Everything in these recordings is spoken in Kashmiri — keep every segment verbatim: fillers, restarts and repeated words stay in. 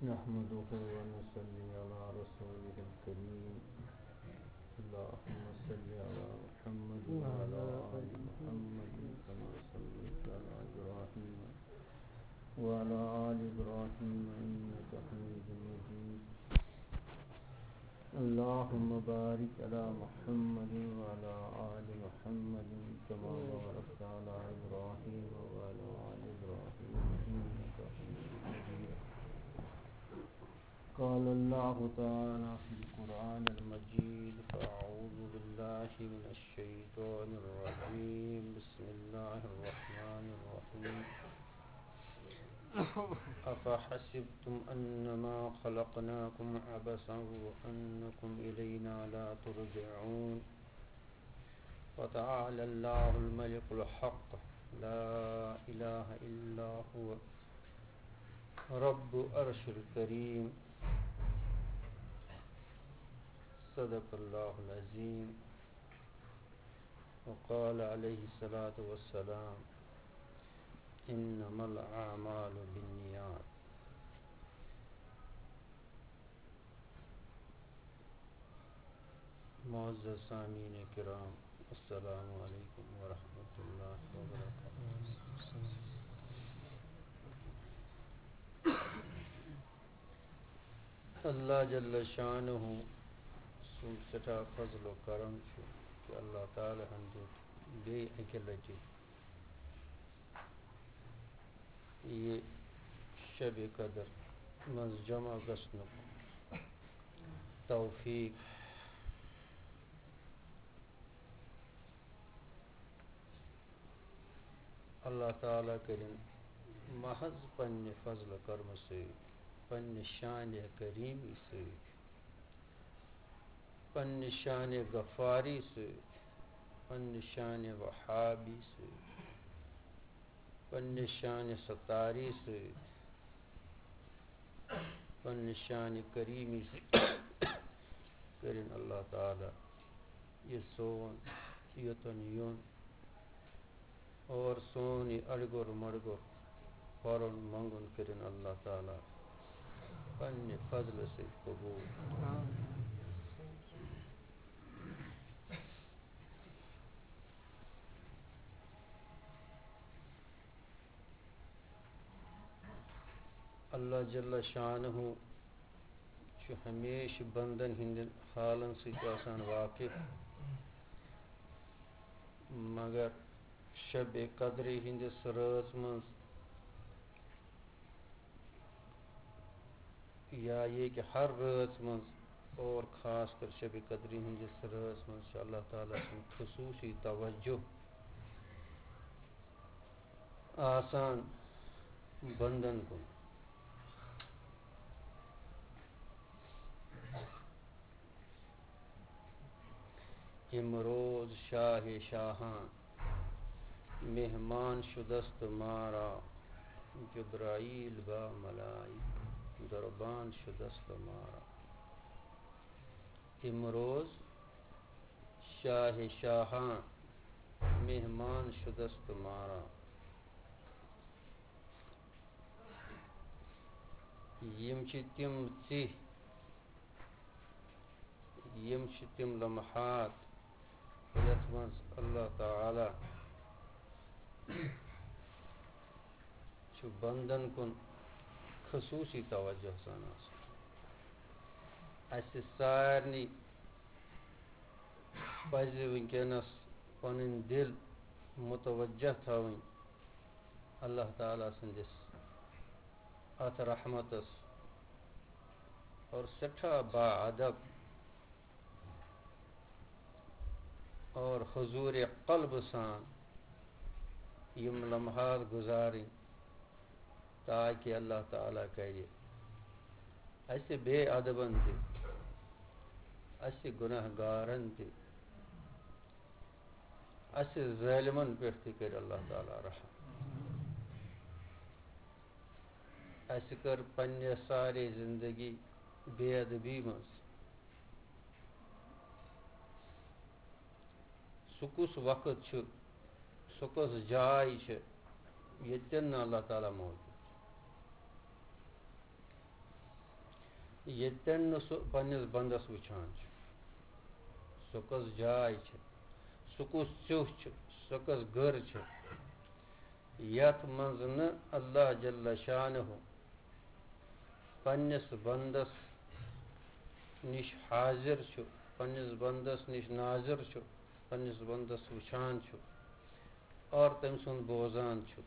نحمده ونصلي على رسوله الكريم. اللهم صل على محمد وعلى آل محمد كما صليت على إبراهيم وعلى آل إبراهيم إنك حميد مجيد. اللهم بارك على محمد وعلى آل محمد كما باركت على إبراهيم وعلى آل إبراهيم إنك حميد مجيد. قال الله تعالى في القرآن المجيد: فأعوذ بالله من الشيطان الرجيم. بسم الله الرحمن الرحيم. أفحسبتم أنما خلقناكم عبثا وأنكم إلينا لا ترجعون. فتعالى الله الملك الحق، لا إله إلا هو، رب العرش الكريم. صدق الله العظيم. وقال عليه الصلاة والسلام: إنما الأعمال بالنيات. معزز سامعین کرام، السلام علیکم ورحمۃ اللہ وبرکاتہ۔ اللہ جل شانہ سُنٛد سٮ۪ٹھاہ فضل و کرم چھُ کہِ اللہ تعالیٰ ہن دیُت بیٚیہِ اَکہِ لٹہِ یہِ شبِ قدر منٛز جمع گژھنُک توفیق۔ اللہ تعالیٰ کٔرِن محض پننہِ فضل و کرمہٕ سۭتۍ، پننہِ شانِ کریٖمی سۭتۍ، پننہِ شانِ غفاری سۭتۍ، پننہِ شانِ وہابی سۭتۍ، پننہِ شانِ ستاری سۭتۍ، پننہِ شانِ کریٖمی سۭتۍ کٔرِن اللہ تعالیٰ یہِ سون یوٚتَن یُن اور سون یہِ اَڑگوٚر مَڑگوٚر پَرُن منٛگُن کٔرِن اللہ تعالیٰ پننہِ فضلہٕ سۭتۍ قبوٗل۔ اللہ جل شانہ چھُ ہمیشہٕ بندن ہٕنٛدٮ۪ن حالن سۭتۍ آسان واقف، مگر شبِ قدرِ ہٕنٛدِس رٲژ منٛز یا یہِ کہِ ہر رٲژ منٛز اور خاص کر شبِ قدرِ ہٕنٛدِس رٲژ منٛز چھُ اللہ تعالیٰ سُنٛد خصوٗصی توجہ۔ آسان بندن کُن۔ امروز شاہ شاہاں مہمان شدست مارا، جبرائیل با ملائک دربان شدست مارا۔ امروز شاہ شاہاں مہمان شدست مارا۔ یِم چھِ تِم ژِہۍ، یِم چھِ تِم لمحات، یَتھ منٛز اللہ تعالیٰ چھُ بندن کُن خصوٗصی توجہ سان آسان۔ اَسہِ سارنٕے پَزِ وٕنکیٚنَس پَنٕنۍ دِل متوجہ تھاوٕنۍ اللہ تعالیٰ سٕنٛدِس اَتھ رحمتَس اور سٮ۪ٹھاہ با ادب اور حضور قلب سان یِم لمحات گُزارٕنۍ، تاکہِ اللہ تعالیٰ کرِ اَسہِ بے ادبن تہِ، اَسہِ گناہ گارن تہِ، اَسہِ ظٲلمن پٮ۪ٹھ تہِ کرِ اللہ تعالیٰ رحم۔ اَسہِ کٔر پننہِ سارے زندگی بے ادبی منٛز۔ سُہ کُس وقت چھُ، سۄ کۄس جاے چھِ، ییٚتٮ۪ن نہٕ اللہ تعالیٰ موجود چھُ، ییٚتٮ۪ن نہٕ سُہ پننِس بندس وٕچھان چھُ؟ سۄ کۄس جاے چھِ، سُہ کُس ژیوٚہ چھُ، سۄ کۄس گٔر چھِ، یتھ منٛز نہٕ اللہ جل شانہ پننِس بندس نِش حاضر چھُ، پننِس بندس نِش ناظر چھُ، پننِس بندس وٕچھان چھُ اور تٔمۍ سُنٛد بوزان چھُ؟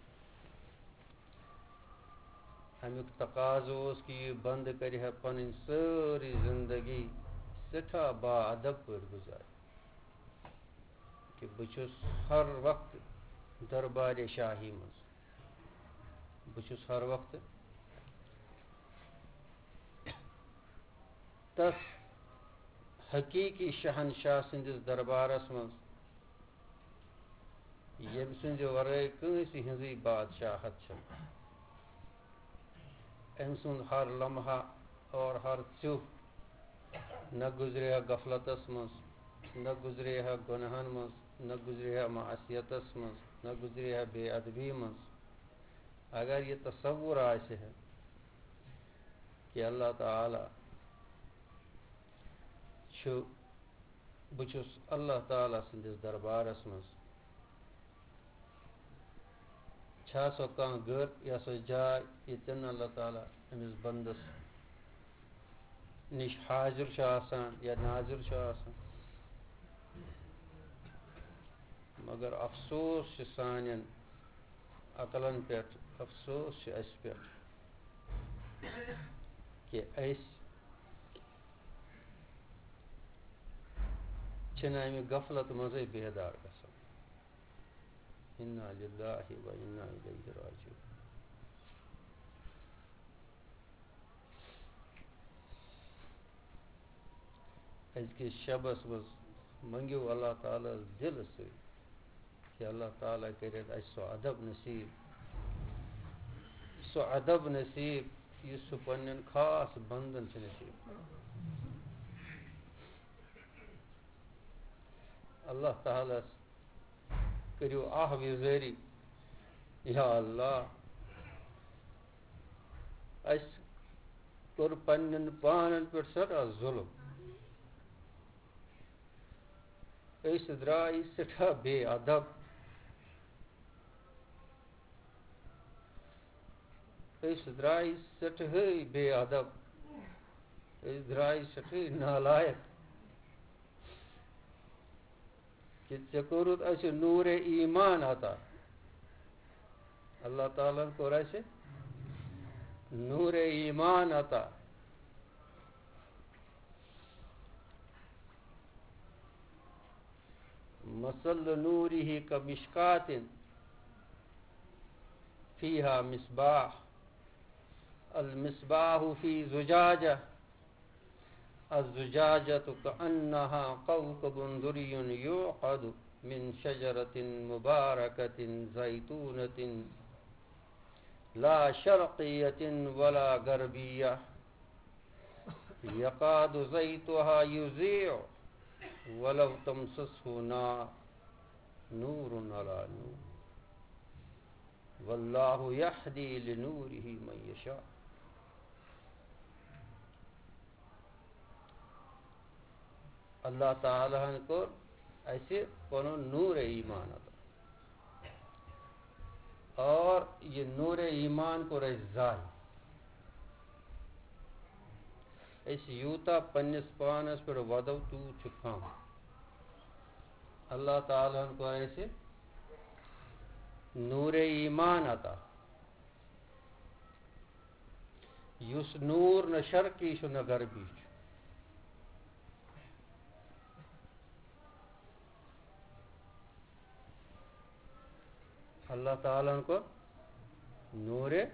اَمیُک تقاضہٕ اوس کہِ یہِ بندٕ کرِ ہا پنٕنۍ سٲرٕے زندگی سٮ۪ٹھاہ با ادب پٲٹھۍ گُزارٕنۍ، کہِ بہٕ چھُس ہر وقتہٕ دربارِ شاہی منٛز، بہٕ چھُس ہر وقتہٕ تس حقیقی شہنشاہ سٕنٛدِس دربارس منٛز، ییٚمہِ سٕنٛدِ ورٲے کٲنٛسہِ ہٕنٛزٕے بادشاہت چھَنہٕ۔ أمۍ سُنٛد ہر لمحہ اور ہر ژیوٚہ نہ گُزرے ہا غفلتس منٛز، نہ گُزرے ہا گۄناہن منٛز، نہ گُزرے ہا معصیتس منٛز، نہ گُزرے ہا بے ادبی منٛز۔ اگر یہِ تصور آسہِ ہا کہِ اللہ تعالیٰ چھُ، بہٕ چھُس اللہ تعالیٰ سٕنٛدِس دربارس منٛز، چھا سۄ کانٛہہ گٔر یا سۄ جاے، ییٚتٮ۪ن نہٕ اللہ تعالیٰ أمِس بندس نِش حاضر چھُ آسان یا ناظر چھُ آسان؟ مگر افسوس چھُ سانٮ۪ن عقلن پٮ۪ٹھ، افسوس چھُ اَسہِ پٮ۪ٹھ کہِ أسۍ چھِنہٕ اَمہِ غفلت منٛزٕے بیدار گژھان۔ انا للہ و انا الیہ راجعون۔ أزکِس شبس منٛز منٛگِو اللہ تعالیٰ ہس دِلہٕ سۭتۍ کہِ اللہ تعالیٰ کٔرِتھ اَسہِ سُہ ادب نصیٖب، سُہ ادب نصیٖب یُس سُہ پننٮ۪ن خاص بندن چھُ نصیٖب۔ اللہ تعالیٰ ہس کٔرِو آہ وِزٲری، یا اللہ، اَسہِ کوٚر پننٮ۪ن پانن پٮ۪ٹھ سٮ۪ٹھاہ ظُلم۔ أسۍ درٛاے سٮ۪ٹھاہ بے ادب۔ أسۍ درٛاے سٮ۪ٹھاہٕے بے ادب۔ أسۍ درٛاے سٮ۪ٹھاہٕے نالایق۔ کہِ ژےٚ کوٚرُتھ اَسہِ نوٗرِ ایمان عطا۔ اللہ تعالیٰ ہن کوٚر اَسہِ نوٗرِ ایمان عطا۔ مثل نوره كمشكاة فيها مصباح، المصباح في زجاجة، الزجاجة كأنها كوكب دري يوقد من شجرة مباركة زيتونة لا شرقية ولا غربية يكاد زيتها يضيء ولو تمسسه نار، نور على نور، والله يهدي لنوره من يشاء. اللہ تعالیٰ ہن کوٚر اَسہِ پنُن نوٗرِ ایمان عطا۔ اور یہِ نوٗرِ ایمان کوٚر اَسہِ ظٲہِر۔ أسۍ یوٗتاہ پننِس پانس پٮ۪ٹھ وَدو، تیوٗت چھُ کم۔ اللہ تعالیٰ ہن کوٚر اَسہِ نوٗرِ ایمان عطا، یُس نوٗر نہ شرقی چھُ نہ غربی چھُ۔ اللہ تعالیٰ ہن کوٚر نوٗرِ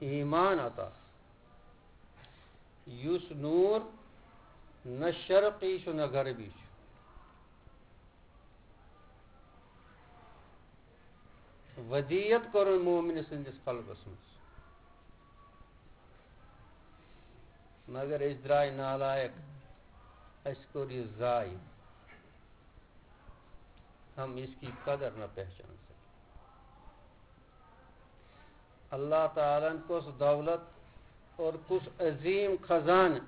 ایمان عطا، یُس نوٗر نہ شرقی چھُ نہ غربی چھُ۔ ودیت کوٚرُن مومنہِ سٕنٛدِس قلبس منٛز۔ مگر أسۍ درٛاے نالایق، اَسہِ کوٚر یہِ ضایع۔ ہم اس کی قدر نہ پہچان سکے۔ اللہ تعالیٰ ہن کۄس دولت اور کُس عظیٖم خزانہٕ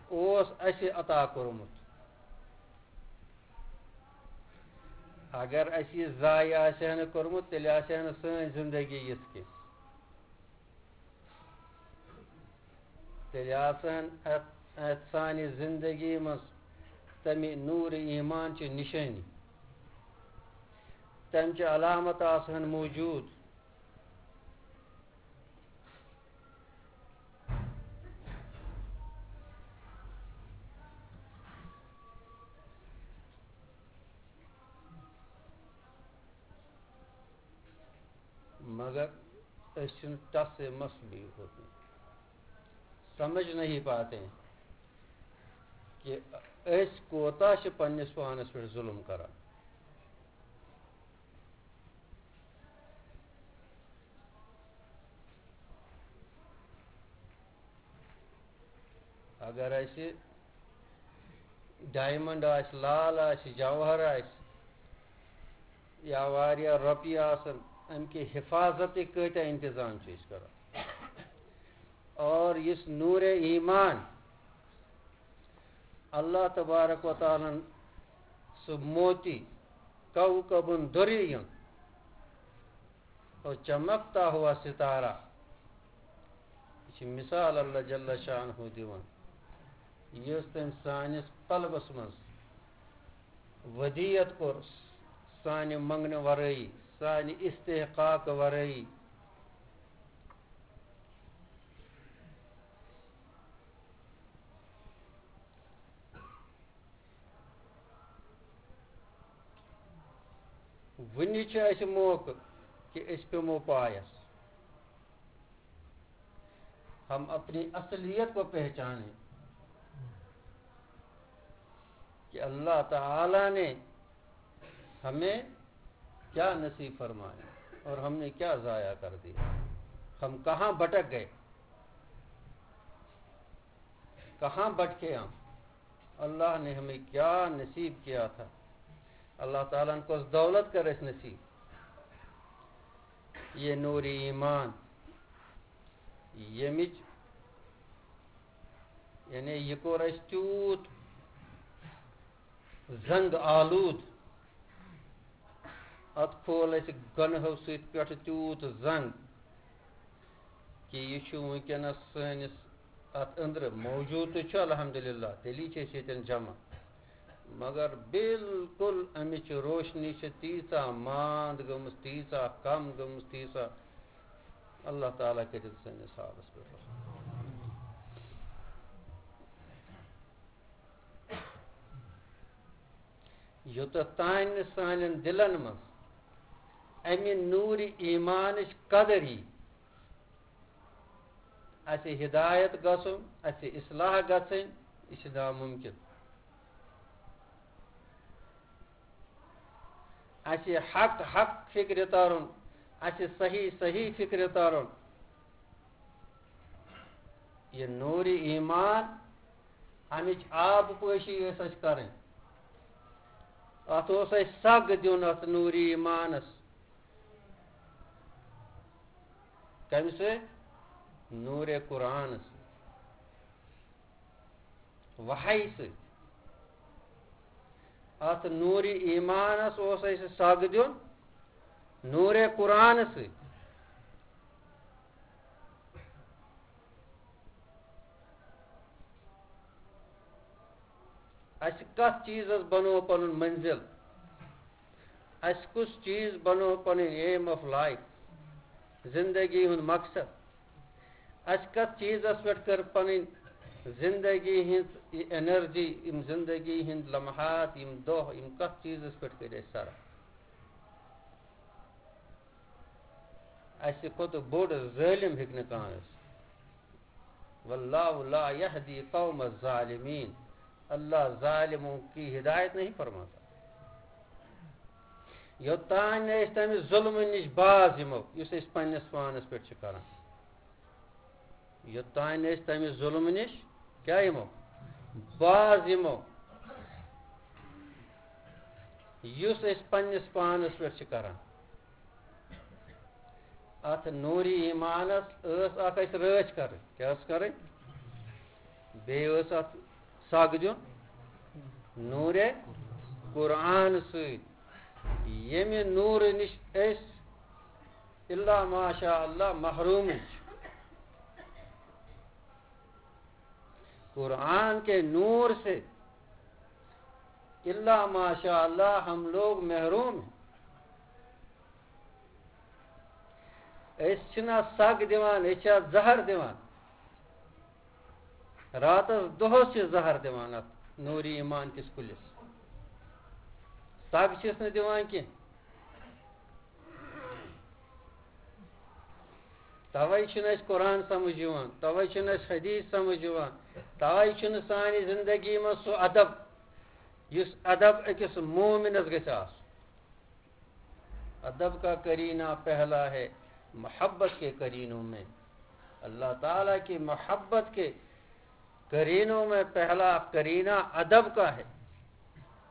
اوس اَسہِ عطا کوٚرمُت۔ اگر اَسہِ یہِ ضایع آسہِ ہا نہٕ کوٚرمُت، تیٚلہِ آسہِ ہا نہٕ سٲنۍ زندگی یِژھ کینٛہہ۔ تیٚلہِ آسہٕ ہن اَتھ، اَتھ سانہِ زندگی منٛز تَمہِ نوٗرِ ایمان چہِ نِشٲنی، تَمہِ چہِ علامت آسہٕ ہن موجوٗد۔ مگر أسۍ چھِنہٕ ٹس سے مس بھی ہوتے، سمجھ نہیں پاتے ہیں کہ أسۍ کوتاہ چھِ پننِس پانس پٮ۪ٹھ ظُلم کران۔ اگر اَسہِ ڈایمنڈ آسہِ، لال آسہِ، جوہر آسہِ، یا واریاہ رۄپیہِ آسن، اَمہِ کہِ حفاظتٕکۍ کۭتیاہ انتظام چھِ أسۍ کران؟ اور یُس نوٗرِ ایمان، اللہ تبارک و تعالیٰ ہن سُہ موتی، کوكب دري، اور چمکتا ہوا ستارہ۔ یہِ چھِ مثال اللہ جل شانہ دِوان، یُس تٔمۍ سٲنِس قلبس منٛز ودیت کوٚر، سانہِ منٛگنہٕ ورٲیی، سانہِ استحقاق ورٲیی۔ وُنہِ چھُ اَسہِ موقعہٕ کہِ أسۍ پیٚمو پایَس۔ ہم اپنی اصلیت کو پہچانیں کہ اللہ تعالیٰ نے ہمیں کیا نصیب فرمایا اور ہم نے کیا ضائع کر دیا، ہم کہاں بھٹک گئے، کہاں بھٹکے ہم، اللہ نے ہمیں کیا نصیب کیا تھا۔ اللہ تعالیٰ ہن کۄس دولت کٔر اَسہِ نصیب۔ یہِ نوٗرِ ایمان، ییٚمِچ، یعنی یہِ کوٚر اَسہِ تیوٗت زنگ آلود، اَتھ کھول اَسہِ گۄنہو سۭتۍ پٮ۪ٹھٕ تیوٗت زنگ کہِ یہِ چھُ وٕنکیٚنَس سٲنِس اَتھ أنٛدرٕ موجوٗد تہِ چھُ، الحمدللہ، تیٚلی چھِ أسۍ ییٚتٮ۪ن جمع۔ مگر بالکل اَمِچ روشنی چھِ تیٖژاہ ماند گٔمٕژ، تیٖژاہ کم گٔمٕژ، تیٖژاہ۔ اللہ تعالیٰ کٔرِتھ سٲنِس حالَس پٮ۪ٹھ رحم۔ یوٚتَتھ تانۍ نہٕ سانٮ۪ن دِلَن منٛز اَمہِ نوٗرِ ایٖمانٕچ قدر یی، اَسہِ ہدایت گژھُن، اَسہِ اصلاح گژھٕنۍ، یہِ چھُ نامُمکِن۔ اَسہِ حق حق فِکرِ تَرُن، اَسہِ صحیح صحیح فِکرِ تَرُن۔ یہِ نوٗرِ ایٖمان، اَمِچ آب پٲشی ٲس اَسہِ کَرٕنۍ۔ اَتھ اوس اَسہِ سَگ دیُن، اَتھ نوٗرِ ایٖمانَس۔ کَمہِ سۭتۍ؟ نوٗرِ قرآنَس سۭتۍ، وحی سۭتۍ۔ اَتھ نوٗرِ ایٖمانَس اوس اَسہِ سَگ دیُن نوٗرِ قرآنَس سۭتۍ۔ اَسہِ کَتھ چیٖزَس بَنوو پَنُن مٔنزِل؟ اَسہِ کُس چیٖز بَنوو پَنٕنۍ aim of life، زِندگی ہُنٛد مقصد؟ اَسہِ کَتھ چیٖزَس پٮ۪ٹھ کٔر پَنٕنۍ زِندگی ہٕنٛز یہِ energy، یِم زِندگی ہٕنٛدۍ لمحات، یِم دۄہ، یِم کَتھ چیٖزَس پٮ۪ٹھ کٔرۍ اَسہِ صرف؟ اَسہِ کھۄتہٕ بوٚڑ ظٲلِم ہیٚکہِ نہٕ کانٛہہ ٲسِتھ۔ واللہ لا یہدی قوم الظالمین، اللہ ظالموں کی ہدایت نہیں فرماتا۔ یوٚتام نہٕ أسۍ تَمہِ ظُلمہٕ نِش باز یِمو، یُس أسۍ پنٛنِس پانَس پٮ۪ٹھ چھِ کَران، یوٚتام نہٕ أسۍ تَمہِ ظُلمہٕ نِش کیٛاہ یِمو؟ باز یِمو، یُس أسۍ پنٛنِس پانَس پٮ۪ٹھ چھِ کَران۔ اَتھ نوٗرِ ایٖمانَس ٲس اَکھ اَسہِ رٲچھ کَرٕنۍ۔ کیٛاہ ٲس کَرٕنۍ؟ بیٚیہِ ٲس اَتھ سَگ دیُن نوٗرِ قرآن سۭتۍ، ییٚمہِ نوٗرٕ نِش أسۍ الا ماشاء اللہ محروم چھِ۔ قرآن کے نور سے الا ماشاء اللہ ہم لوگ محروم ہیں۔ أسۍ چھِنہٕ اَتھ سَگ دِوان، أسۍ چھِ اَتھ زَہر دِوان۔ راتَس دۄہَس چھِ زَہر دِوان اَتھ نوٗرِ ایٖمان کِس کُلِس۔ سَگ چھِس نہٕ دِوان کینٛہہ۔ تَوَے چھُنہٕ اَسہِ قرآن سَمٕجھ یِوان، تَوَے چھُنہٕ اَسہِ حدیٖث سَمٕجھ یِوان، تَوَے چھُنہٕ سانہِ زِندگی منٛز سُہ اَدب، یُس اَدب أکِس مومِنَس گژھِ آسُن۔ ادب کا قرینہ پہلا ہے محبت کے قرینوں میں۔ اللہ تعالیٰ کی محبت کے قرینوں میں پہلا قرینہ ادب کا ہے۔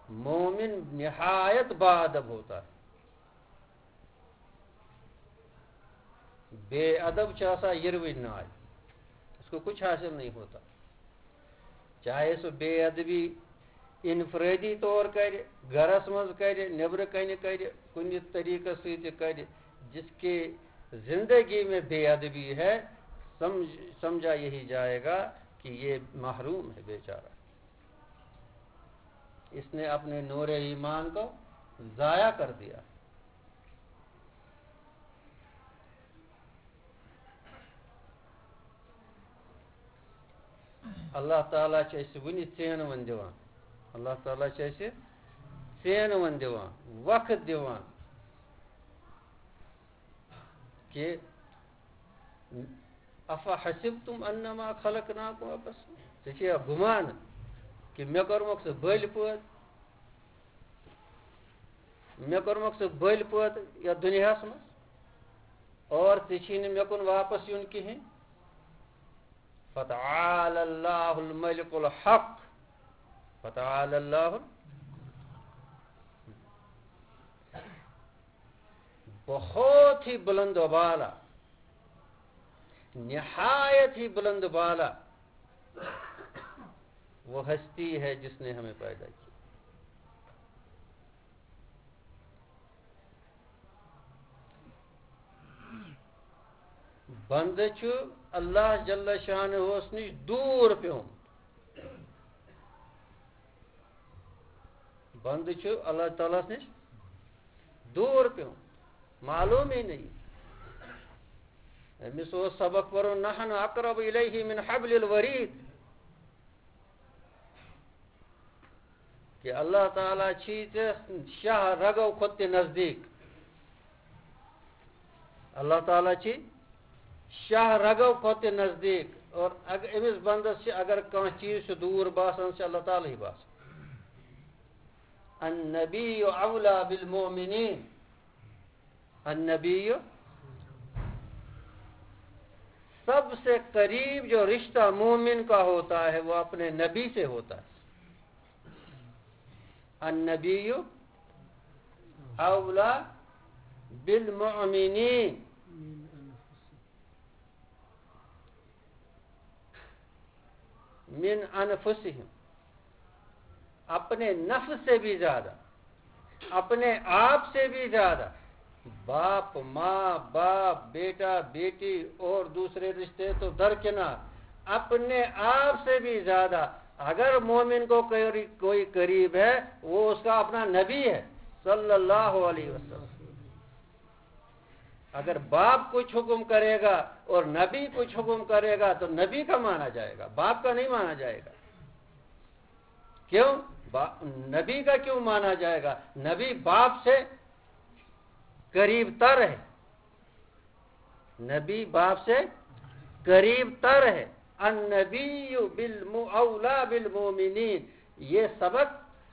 مومن نہایت با ادب ہوتا ہے۔ بے ادب چھُ آسان یِروٕنۍ ناے، اس کو کچھ حاصل نہیں ہوتا۔ چاہے سُہ بے ادبی انفرادی طور کرِ، گرس منٛز کرِ، نیبرٕ کنہِ کرِ، کُنہِ طریقس سۭتۍ تہِ کرِ، جس کی زندگی میں بے ادبی ہے، سمجھ، سمجھا یہی جائے گا کہ یہ محروم ہے بیچارہ۔ اس نے اپنے نور ایمان کو ضائع کر دیا۔ اللہ تعالیٰ چھُ اَسہِ وُنہِ ژینوَن دِوان۔ اللہ تعالیٰ چھُ اَسہِ ژینوَن دِوان، وقت دِوان کہ افحسبتم انما خلقناکم عبثا۔ ژےٚ چھُیا گُمان کہ مےٚ کوٚرمَکھ ژٕ بٔلۍ پٲدٕ؟ مےٚ کوٚرمَکھ ژٕ بٔلۍ پٲدٕ یَتھ دُنیاہَس منٛز؟ اور ژےٚ چھی نہٕ مےٚ کُن واپس یُن کِہیٖنۍ۔ فتعال اللہ الملک الحق۔ فتعال اللہ، بہت ہی بلند و بالا، نہایت ہی بلند و بالا وہ ہستی ہے جس نے ہمیں پیدا کیا۔ بندٕ چھُ اللہ جل شانہس نِش دوٗر پیوٚمُت۔ بندٕ چھُ اللہ تعالیٰ ہس نِش دوٗر پیوٚمُت، معلومٕے نہٕ۔ أمِس اوس سبق پَرُن، "نحن اقرب الیہ من حبل الورید"۔ کہ اللہ تعالیٰ چھی ژےٚ شاہ رگو کھۄتہٕ تہِ نزدیٖک۔ اللہ تعالیٰ چھِ شاہ رگو کھۄتہٕ تہِ نزدیٖک، اور اگر أمِس بندس چھِ، اگر کانٛہہ چیٖز چھُ دوٗر باسان، چھُ اللہ تعالیٰ ہٕے باسان۔ النبی اولا بالمؤمنین۔ النبی، سب سے قریب جو رشتہ مومن کا ہوتا ہے، وہ اپنے نبی سے ہوتا ہے۔ النبی اولا بالمؤمنین من انفسہم، اپنے نفس سے بھی زیادہ، اپنے آپ سے بھی زیادہ۔ باپ، ماں، باپ، بیٹا، بیٹی اور دوسرے رشتے تو درکنار، اپنے آپ سے بھی زیادہ اگر مومن کو کوئی، کوئی قریب ہے، وہ اس کا اپنا نبی ہے، صلی اللہ علیہ وسلم۔ اگر باپ کچھ حکم کرے گا اور نبی کچھ حکم کرے گا، تو نبی کا مانا جائے گا، باپ کا نہیں مانا جائے گا۔ کیوں؟ با-، نبی کا کیوں مانا جائے گا؟ نبی باپ سے قریب تر ہے، نبی باپ سے قریب تر ہے۔ النبی بالم-، اولا بالمؤمنین۔ یہ سبق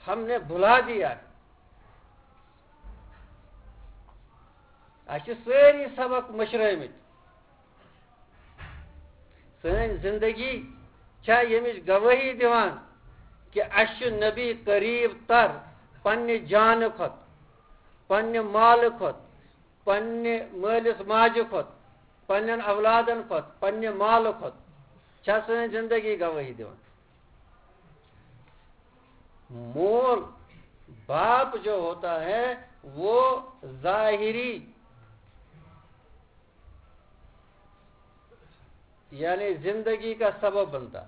ہم نے بھلا دیا ہے۔ اَسہِ چھِ سٲری سبق مٔشرٲومٕتۍ۔ سٲنۍ زندگی چھا ییٚمِچ گوٲہی دِوان کہِ اَسہِ چھُ نبی قریب تر پننہِ جانہٕ کھۄتہٕ، پننہِ مالہٕ کھۄتہٕ، پننہِ مٲلِس ماجہِ کھۄتہٕ، پننٮ۪ن اولادن کھۄتہٕ، پننہِ مالہٕ کھۄتہٕ؟ چھا سٲنۍ زندگی گوٲہی دِوان؟ مول، باپ جو ہوتا ہے، وہ ظاہری، یعنی زندگی کا سبب بنتا۔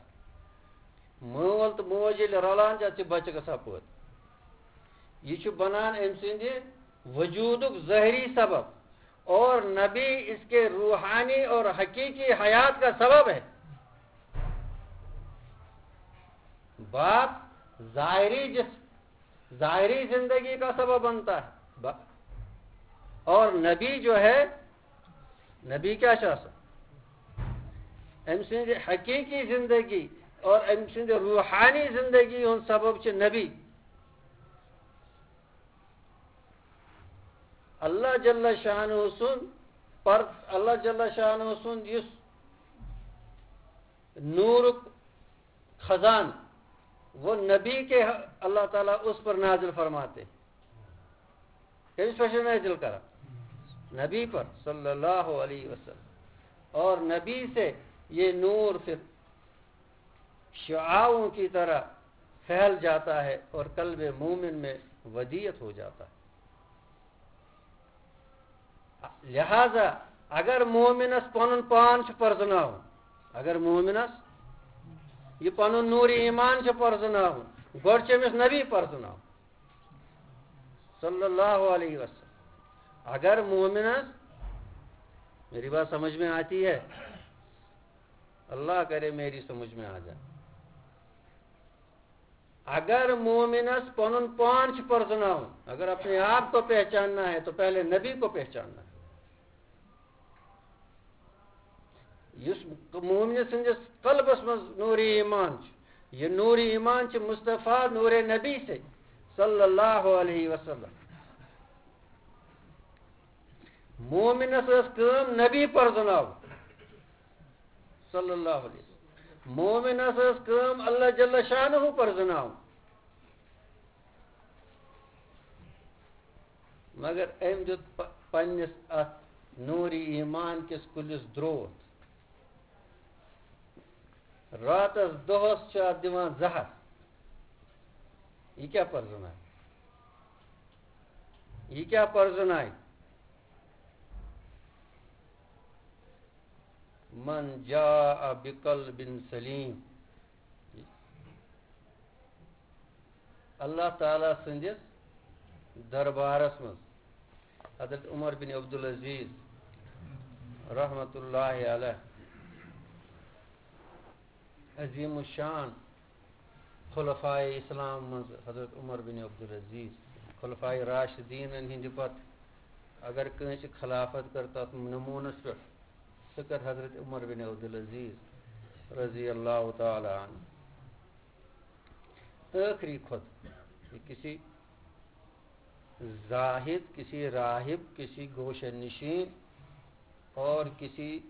مول تہٕ موج ییٚلہِ رلان چھِ، اَتھ چھِ بچہٕ گژھان پٲدٕ۔ یہِ چھُ بنان أمۍ سٕنٛدِ وجوٗدُک ظٲہری سبب، اور نبی اس کے روحانی اور حقیقی حیات کا سبب ہے۔ باپ ظاہری جس، ظاہری زندگی کا سبب بنتا ہے۔ با-، اور نبی جو ہے، نبی کیا چھُ آسان؟ أمۍ سٕنٛزِ حقیقی زندگی اور أمۍ سٕنٛزِ روحانی زندگی ہُنٛد سبب چھُ نبی۔ اللہ جل شانہ سُنٛد پر، اللہ جل شانہ سُنٛد یُس نورُک خزان، وہ نبی کے اللہ تعالیٰ اس پر نازل فرماتے۔ کٔمِس پٮ۪ٹھ چھُ نازل کران؟ نبی پر، صلی اللہ علیہ وسلم۔ اور نبی سے یہ نور پھر شعاعوں کی طرح پھیل جاتا ہے اور قلب مومن میں ودیعت ہو جاتا ہے۔ لہذا اگر مومنس پنُن پان چھُ پرزناوُن، اگر مومنس یہِ پنُن نور ایمان چھُ پرزناوُن، گۄڈٕ چھُ أمِس نبی پرزناوُن، صلی اللہ علیہ وسلم۔ اگر مومنس، میری بات سمجھ میں آتی ہے؟ اللہ کرے میری سمجھ میں آ جائے۔ اگر مومنس پنُن پان چھُ پرزناوُن، اگر اپنے آپ کو پہچاننا ہے تو پہلے نبی کو پہچاننا ہے۔ یُس مومنہِ سٕنٛدِس قلبس منٛز نور ایمان چھُ، یہِ نور ایمان چھُ مصطفیٰ نور نبی سے، صلی اللہ علیہ وسلم۔ مومنس ٲس کٲم نبی پرزناوُن۔ صلی اللہ علیہ وسلم۔ مومنس ٲس کٲم اللہ جل شانہ پرزناوُن۔ مگر أمۍ دیُت پ-، پننِس اتھ نوٗرِ ایمان کِس کُلِس درٛوتھ۔ راتس دۄہس چھُ اتھ دِوان زہر۔ یہِ کیٛاہ پرزنایہِ؟ یہِ کیٛاہ پرزنایہِ؟ من جاء بقلب سلیم۔ اللہ تعالیٰ سٕنٛدِس دربارس منٛز حضرت عمر بن عبدالعزیز رحمتہ اللہ علیہ، عظیم الشان خلفائے اسلام منٛز حضرت عمر بن عبدالعزیز، خلفائے راشدینن ہٕنٛدِ پتہٕ اگر کٲنٛسہِ خلافت کٔر تَتھ نموٗنَس پٮ۪ٹھ، سُہ کٔر حضرت عمر بن عبدالعزیز رضی اللہ تعالیٰ عنہ۔ ٲخری خود، یہ کسی زاہد، کسی راہب، کسی گوشہ نشین اور کسی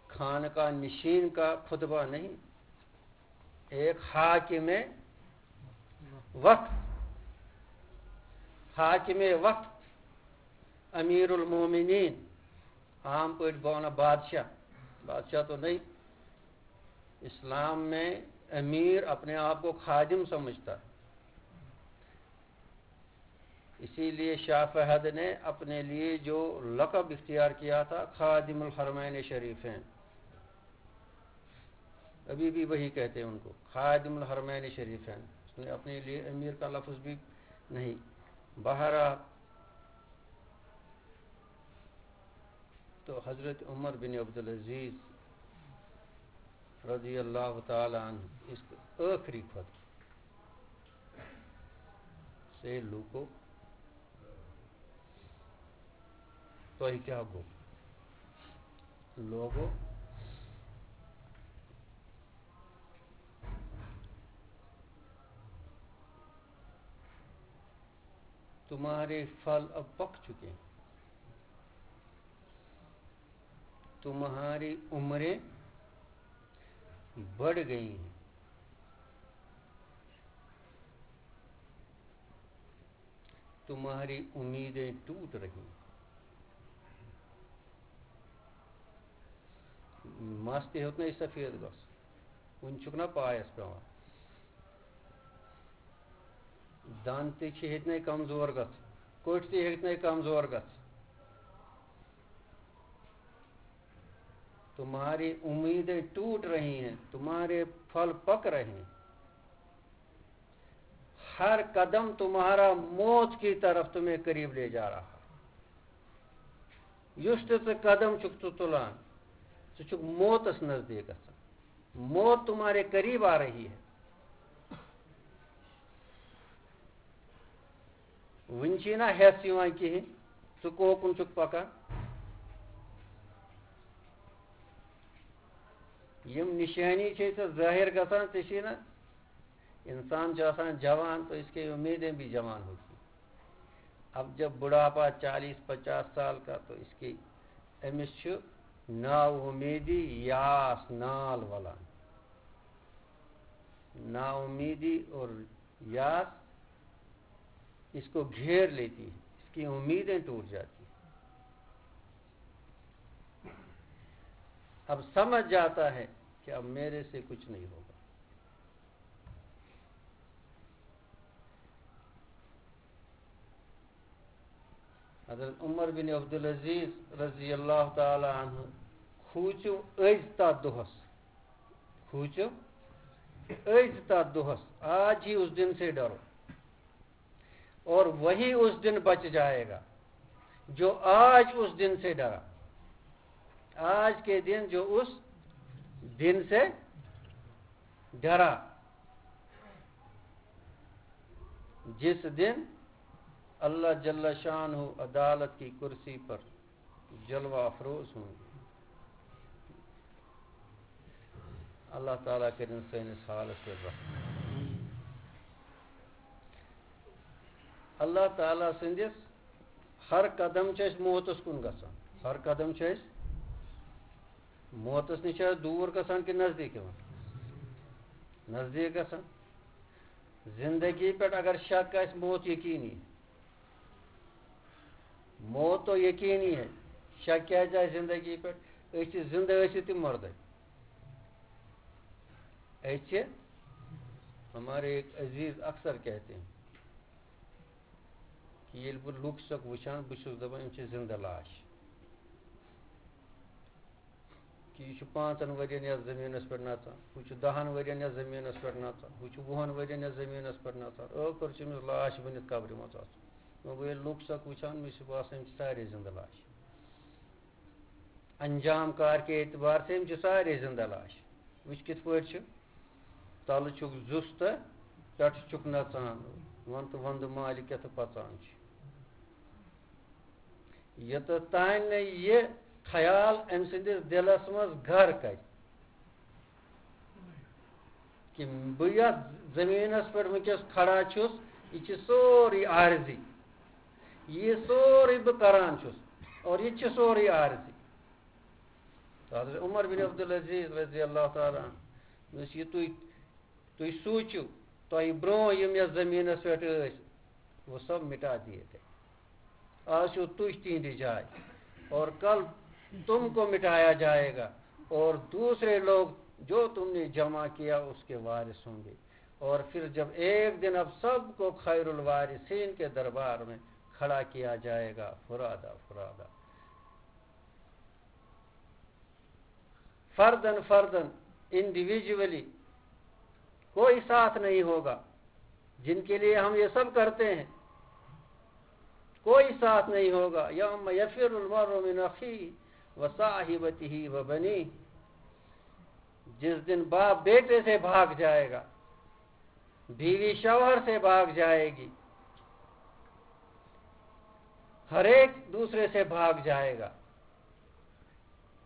خانقاہ نشین کا خطبہ نہیں، ایک حاکم وقت، حاکم وقت، امیر المومنین، عام پٲٹھۍ بہٕ وَنہٕ بادشاہ، بادشاہ تو نہیں، اسلام میں امیر اپنے آپ کو خادم سمجھتا ہے۔ اسی لیے شاہ فہد نے اپنے لیے جو لقب اختیار کیا تھا، خادم الحرمین شریفین، ابھی بھی وہی کہتے ہیں ان کو، خادم الحرمین شریفین۔ اس نے اپنے لیے امیر کا لفظ بھی نہیں۔ بہرحال، تو حضرت عمر بن عبدالعزیز رضی اللہ تعالیٰ عنہ اس ٲخری خود سے لوگو، تۄہہِ کیٛاہ گوٚو؟ لوگو، تمہارے پھل اب پک چکے ہیں، تمہاری عمریں بڑھ گئی ہیں، تمہاری امیدیں ٹوٹ رہی ہیں۔ مَس تہِ ہیوٚت نَے سفید گژھُن، وُنہِ چھُکھ نا پایَس پٮ۪وان۔ دَنٛد تہِ چھِ ہیٚتۍ نَے کمزور گژھٕنۍ، کوٚٹھۍ تہِ ہیٚتۍ نَے کمزور گژھٕنۍ۔ تمہاری امیدیں ٹوٹ رہی ہیں، تمہارے پھل پک رہے ہیں۔ ہر قدم تمہارا موت کی طرف تمہیں قریب لے جا رہا۔ یُس تہِ ژٕ قدم چھُکھ ژٕ تُلان، ژٕ چھُکھ موتَس نزدیٖک گژھان۔ موت تمہارے قریب آ رہی ہے۔ وُنہِ چھِی نہ ہٮ۪س یِوان کِہیٖنۍ، ژٕ کوکُن چھُکھ پَکان۔ یِم نِشٲنی چھے ژےٚ ظٲہِر گژھان، ژےٚ چھِی نہ، انسان جو آسان جوان تو اس کی امیدیں بھی جوان ہوتی ہیں۔ اب جب بڑھاپا چالیس پچاس سال کا تو اس کی، أمِس چھُ نا امیدی یاس نال وَلان۔ نا امیدی اور یاس اس کو گھیر لیتی ہے، اس کی امیدیں ٹوٹ جاتی ہیں۔ اب سمجھ جاتا ہے کہ اب میرے سے کچھ نہیں ہوگا۔ حضرت عمر بن عبدالعزیز رضی اللہ تعالیٰ عنہ کھوٗژِو أزۍ تَتھ دۄہَس۔ کھوٗژِو أزۍ تَتھ دۄہَس۔ آج ہی اس دن سے ڈرو۔ اور وہی اس دن بچ جائے گا جو آج اس دن سے ڈرا۔ آج کے دن جو اس دن سے ڈرا، جس دن اللہ جل شانہ عدالت کی کرسی پر جلوہ افروز ہوں گے۔ اللہ تعالیٰ کٔرِن سٲنِس حالس پٮ۪ٹھ رحم۔ اللہ تعالیٰ سٕنٛدِس ہر قدم چھِ أسۍ موتس کُن گژھان۔ ہر قدم چھِ أسۍ موتس نِش چھِ أسۍ دوٗر گژھان کِنہٕ نزدیٖک یِوان؟ نزدیٖک گژھان۔ زندگی پٮ۪ٹھ اگر شک آسہِ، موت یقینی۔ موت تو یقینی ہے۔ شک کیٛازِ آسہِ زندگی پٮ۪ٹھ؟ أسۍ چھِ زندٕ ٲسِتھ تہِ مردے۔ أسۍ چھِ، ہمارے ایک عزیز اکثر کہتے ہیں کہ ییٚلہِ بہٕ لُکھ چھُسکھ وٕچھان، بہٕ چھُس دَپان، یِم چھِ زِندٕ لاش۔ کہِ یہِ چھُ پانٛژَن ؤرِین یَتھ زٔمیٖنَس پٮ۪ٹھ نَژان، ہُہ چھُ دَہَن ؤرِین یَتھ زٔمیٖنَس پٮ۪ٹھ نَژان، ہُہ چھُ وُہَن ؤرِین یَتھ زٔمیٖنَس پٮ۪ٹھ نَژان۔ ٲخٕر چھُ أمِس لاش بٔنِتھ قبرِ منٛز اَژُن۔ وۄنۍ گوٚو ییٚلہِ لُکھ چھُسکھ وٕچھان، مےٚ چھُ باسان، یِم چھِ سارے زِندٕ لاش۔ انجام کار کے اعتبار سے یِم چھِ سارے زِندٕ لاش۔ وٕچھ کِتھ پٲٹھۍ چھِ، تَلہٕ چھُکھ زُس تہٕ پٮ۪ٹھٕ چھُکھ نَژان، وَن تہٕ وَندٕ مالہِ کیٛاہ تہٕ پَژان چھِ۔ یوٚتَتھ تانۍ نہٕ یہِ خیال أمۍ سٕنٛدِس دِلَس منٛز گَر کَرِ کہِ بہٕ یَتھ زٔمیٖنَس پٮ۪ٹھ وٕنکیٚس کھڑا چھُس، یہِ چھِ سورُے عارضی، یہِ سورُے بہٕ کَران چھُس، اور یہِ تہِ چھِ سورُے عارضی۔ تو حضرت عمر بن عبدالعزیز رضی اللہ تعالیٰ عنہ، یُس یہِ تُہۍ تُہۍ سوٗنٛچِو، تۄہہِ برٛونٛہہ یِم یَتھ زٔمیٖنَس پٮ۪ٹھ ٲسۍ، وہ سب مٹا دیے گئے۔ آز چھِو تُہۍ تِہنٛدِ جایہِ، اور کل تم کو مٹایا جائے گا، اور دوسرے لوگ جو تم نے جمع کیا، اس کے وارث ہوں گے۔ اور پھر جب ایک دن اب سب کو خیر الوارثین کے دربار میں کھڑا کیا جائے گا، فرادا فرادا۔ فردن فردن، انڈیویجولی، کوئی ساتھ نہیں ہوگا۔ جن کے لیے ہم یہ سب کرتے ہیں، کوئی ساتھ نہیں ہوگا۔ یوم یفر المرء من اخیہ و صاحبتہ و بنیہ، جس دن باپ بیٹے سے بھاگ جائے گا، بیوی شوہر سے بھاگ جائے گی، ہر ایک دوسرے سے بھاگ جائے گا۔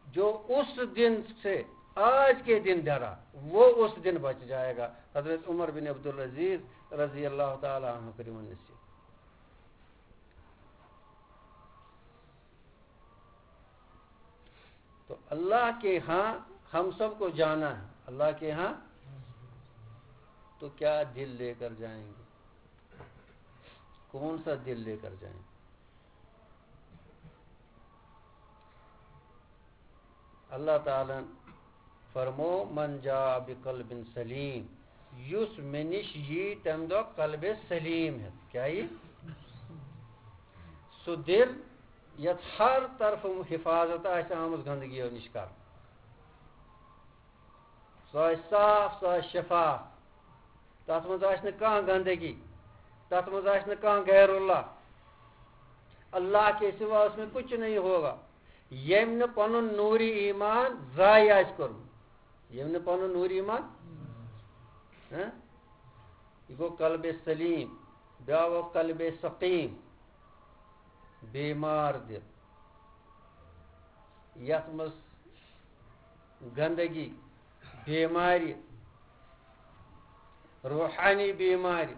جو اس دن سے آج کے دن ڈرا، وہ اس دن بچ جائے گا۔ حضرت عمر بن عبدالعزیز رضی اللہ تعالیٰ عنہ کٔرِو وۄنۍ نصیحت۔ تو اللہ کے ہاں ہم سب کو جانا ہے، اللہ کے ہاں، تو کیا دل لے کر جائیں گے؟ کون سا دل لے کر جائیں؟ اللہ تعالیٰ فرمو، من جاء بقلب سلیم، یُس مےٚ نِش یی تَمہِ دۄہ قلبِ سلیم ہٮ۪تھ۔ کیٛاہ یی؟ سُہ دِل یَتھ ہر طرفہٕ حفاظت آسہِ آمٕژ گندگیو نِش کرنہٕ۔ سُہ آسہِ صاف، سُہ آسہِ شفاف۔ تَتھ منٛز آسہِ نہٕ کانٛہہ گندگی، تَتھ منٛز آسہِ نہٕ کانٛہہ غیر اللہ۔ اللہ کے سوا اس میں کچھ نہیں ہوگا۔ ییٚمۍ نہٕ پَنُن نوٗرِ ایمان ضایع آسہِ کوٚرمُت، ییٚمۍ نہٕ پَنُن نوٗرِ ایمان، ہہ؟ یہِ گوٚو قلبِ سلیم، بیٛاکھ گوٚو قلبِ سقیم، بیمار دِل، یَتھ منٛز گندگی، بیمارِ، روحانی بیمارِ،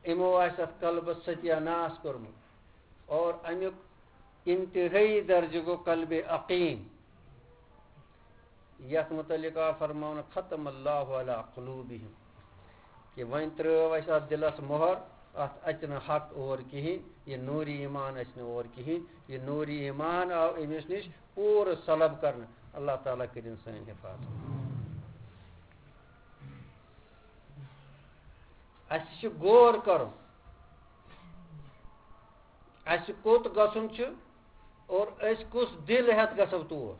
یِمو آسہِ اَتھ قلبَس ستیہ ناس کوٚرمُت۔ اور اَمیُک انتہٲیی درجہٕ گوٚو قلبِ عقیم۔ یَتھ مُتعلِق آو فرماونہٕ، ختم اللہ علی قلوبہم، کہِ وۄنۍ ترٛٲو اَسہِ اَتھ دِلَس مۄہر، اَتھ اَژِ نہٕ حق اور کِہیٖنۍ، یہِ نوٗرِ ایمان اَژِ نہٕ اور کِہیٖنۍ۔ یہِ نوٗرِ ایمان آو أمِس نِش پوٗرٕ سلب کرنہٕ۔ اللہ تعالیٰ کٔرِن سٲنۍ حفاظت۔ اَسہِ چھُ غور کرُن، اَسہِ کوٚت گژھُن چھُ اور أسۍ کُس دِل ہٮ۪تھ گژھو تور۔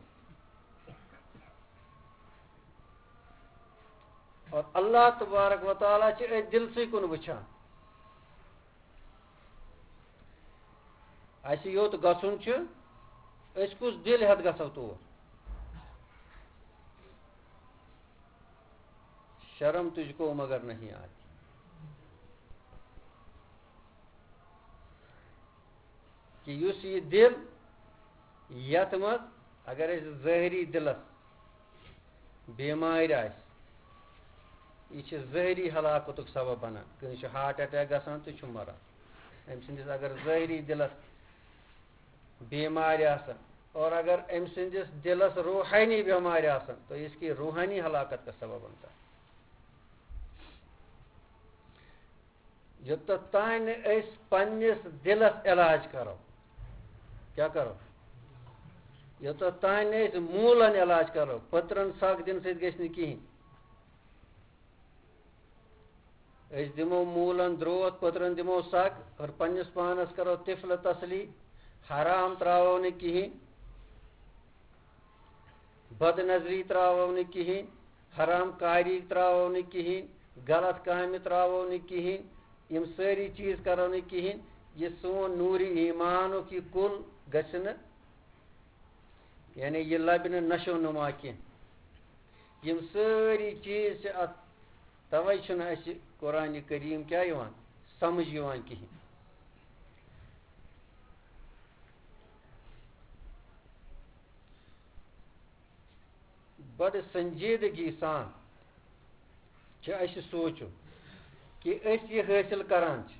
اور اللہ تبارک و تعالیٰ چھِ أتھۍ دِلسٕے کُن وٕچھان۔ اَسہِ یوٚت گژھُن چھُ، أسۍ کُس دِل ہٮ۪تھ گژھو تور؟ شرم تجھ کو مگر نہیں آتی۔ کہِ یُس یہِ دِل، یَتھ منٛز اگر أسۍ ظٲہری دِلَس بیمارِ آسہِ، یہِ چھِ ظٲہری ہلاکتُک سبب بنان۔ کٲنٛسہِ چھُ ہارٹ اٹیک گژھان تہٕ چھُ مران۔ أمۍ سٕنٛدِس اگر ظٲہری دِلَس بیمارِ آسن، اور اگر أمۍ سٕنٛدِس دِلَس روحانی بیمارِ آسن، تو اس کی روحانی ہلاکت کا سبب بنتا ہے۔ یوٚتَتھ تام نہٕ أسۍ پننِس دِلَس علاج کرو، کیٛاہ کرو؟ یوٚتَتھ تام نہٕ أسۍ موٗلَن علاج کرو، پٔترَن سَگ دِنہٕ سۭتۍ گژھِ نہٕ کِہیٖنۍ۔ أسۍ دِمو موٗلَن درٛوتھ، پٔترَن دِمو سَگ، اور پننِس پانَس کرو طفل تسلی، حرام ترٛاوو نہٕ کِہیٖنۍ۔ بد نظری ترٛاوو نہٕ کِہیٖنۍ، حرام کاری ترٛاوو نہٕ کِہیٖنۍ، غلط کامہِ ترٛاوو نہٕ کِہیٖنۍ، یِم سٲری چیٖز کرو نہٕ کِہیٖنۍ۔ یہِ سون نوٗرِ ایمانُک یہِ کُل گژھِ نہٕ، یعنی یہِ لبہِ نہٕ نشو نما کینٛہہ۔ یِم سٲری چیٖز چھِ اَتھ، تَوَے چھُنہٕ اَسہِ قرآنِ کریم کیٛاہ یِوان؟ سمجھ یِوان کِہیٖنۍ۔ بڑٕ سنجیدگی سان چھُ اَسہِ سونٛچُن کہِ أسۍ یہِ حٲصِل کران چھِ،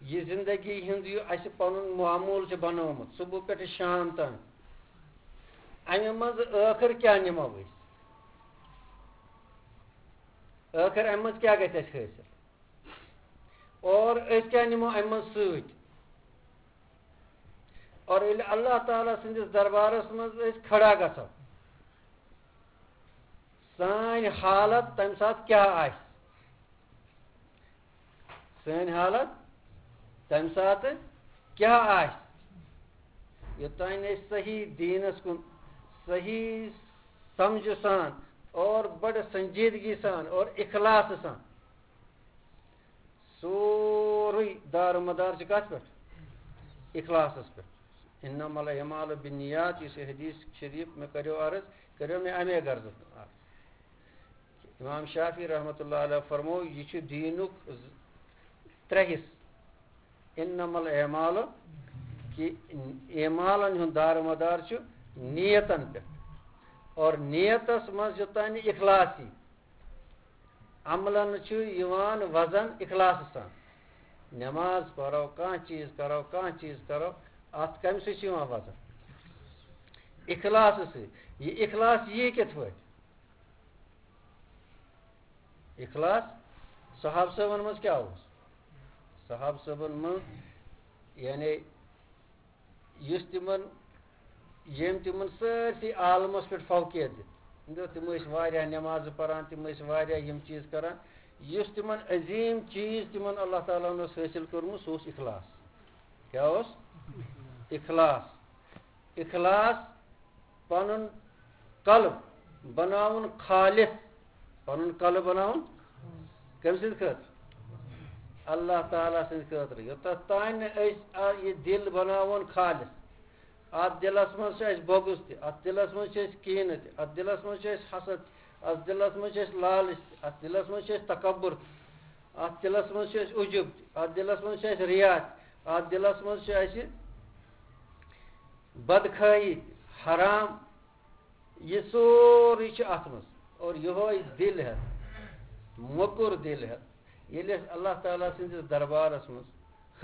یہِ زندگی ہُنٛد یہِ اَسہِ پنُن معموٗل چھُ بنومُت صبح پٮ۪ٹھٕ شام تام، اَمہِ منٛز ٲخٕر کیٛاہ نِمو أسۍ؟ ٲخٕر اَمہِ منٛز کیٛاہ گژھِ اَسہِ حٲصِل؟ اور أسۍ کیٛاہ نِمو اَمہِ منٛز سۭتۍ؟ اور ییٚلہِ اللہ تعالیٰ سٕنٛدِس دربارس منٛز أسۍ کھڑا گژھو، سٲنۍ حالت تَمہِ ساتہٕ کیٛاہ آسہِ؟ سٲنۍ حالت تَمہِ ساتہٕ کیٛاہ آسہِ؟ یوٚتام أسۍ صحیح دیٖنس کُن صحیح سمجھٕ سان اور بڑٕ سنجیدگی سان اور اخلاصہٕ سان سورُے دار و مدار چھُ کتھ پٮ۪ٹھ؟ اخلاصس پٮ۪ٹھ۔ انما الاعمال بالنیات، یُس یہِ حدیث شریف مےٚ کریو عرض، کریو مےٚ امے غرضہٕ عرض۔ امام شافعی رحمۃ اللہ علیہ فرموو، یہِ چھُ دیٖنُک ز-، ترٛےٚ حصہٕ۔ انما الاعمال، کہِ اعمالن ہُنٛد دار و مدار چھُ نیتن پٮ۪ٹھ، اور نیتس منٛز یوٚتام نہٕ اخلاص یی، عملن چھُ یِوان وزن اخلاصہٕ سان۔ نماز پرو، کانٛہہ چیٖز کرو، کانٛہہ چیٖز کرو، اتھ کمہِ سۭتۍ چھُ یِوان وزن؟ اخلاصہٕ سۭتۍ۔ یہِ اخلاص یی کِتھ پٲٹھۍ؟ اخلاص صحابہٕ صٲبن منٛز کیٛاہ اوس؟ صحابہٕ صٲبن منٛز، یعنی یُس تِمن، ییٚمۍ تِمن سٲرسٕے عالمس پٮ۪ٹھ فوقیت دِژ۔ تِم ٲسۍ واریاہ نمازٕ پران، تِم ٲسۍ واریاہ یِم چیٖز کران۔ یُس تِمن عظیٖم چیٖز تِمن اللہ تعالیٰ ہن اوس حٲصِل کوٚرمُت، سُہ اوس اخلاص۔ کیٛاہ اوس؟ اخلاص۔ اخلاص، پنُن قلب بناوُن خالص۔ پنُن قلب بناوُن کٔمۍ سٕنٛدِ خٲطرٕ؟ اللہ تعالیٰ سٕنٛدِ خٲطرٕ۔ یوٚتتھ تام نہٕ أسۍ آ-، یہِ دِل بناوون خالص، اتھ دِلس منٛز چھُ اَسہِ بغض تہِ، اتھ دِلس منٛز چھُ اَسہِ کینہٕ تہِ، اتھ دِلس منٛز چھُ اَسہِ حسد تہِ، اتھ دِلس منٛز چھُ اَسہِ لالچ تہِ، اتھ دِلس منٛز چھُ اَسہِ تکبر تہِ، اتھ دِلس منٛز چھُ اَسہِ عجب تہِ، اتھ دِلس منٛز چھُ اَسہِ ریا تہِ، اتھ دِلس منٛز چھُ اَسہِ بدخواہی تہِ، حرام، یہِ سورُے چھُ اتھ منٛز۔ اور یِہوے دِل ہٮ۪تھ، موٚکُر دِل ہٮ۪تھ، ییٚلہِ أسۍ اللہ تعالیٰ سٕنٛدِس دربارس منٛز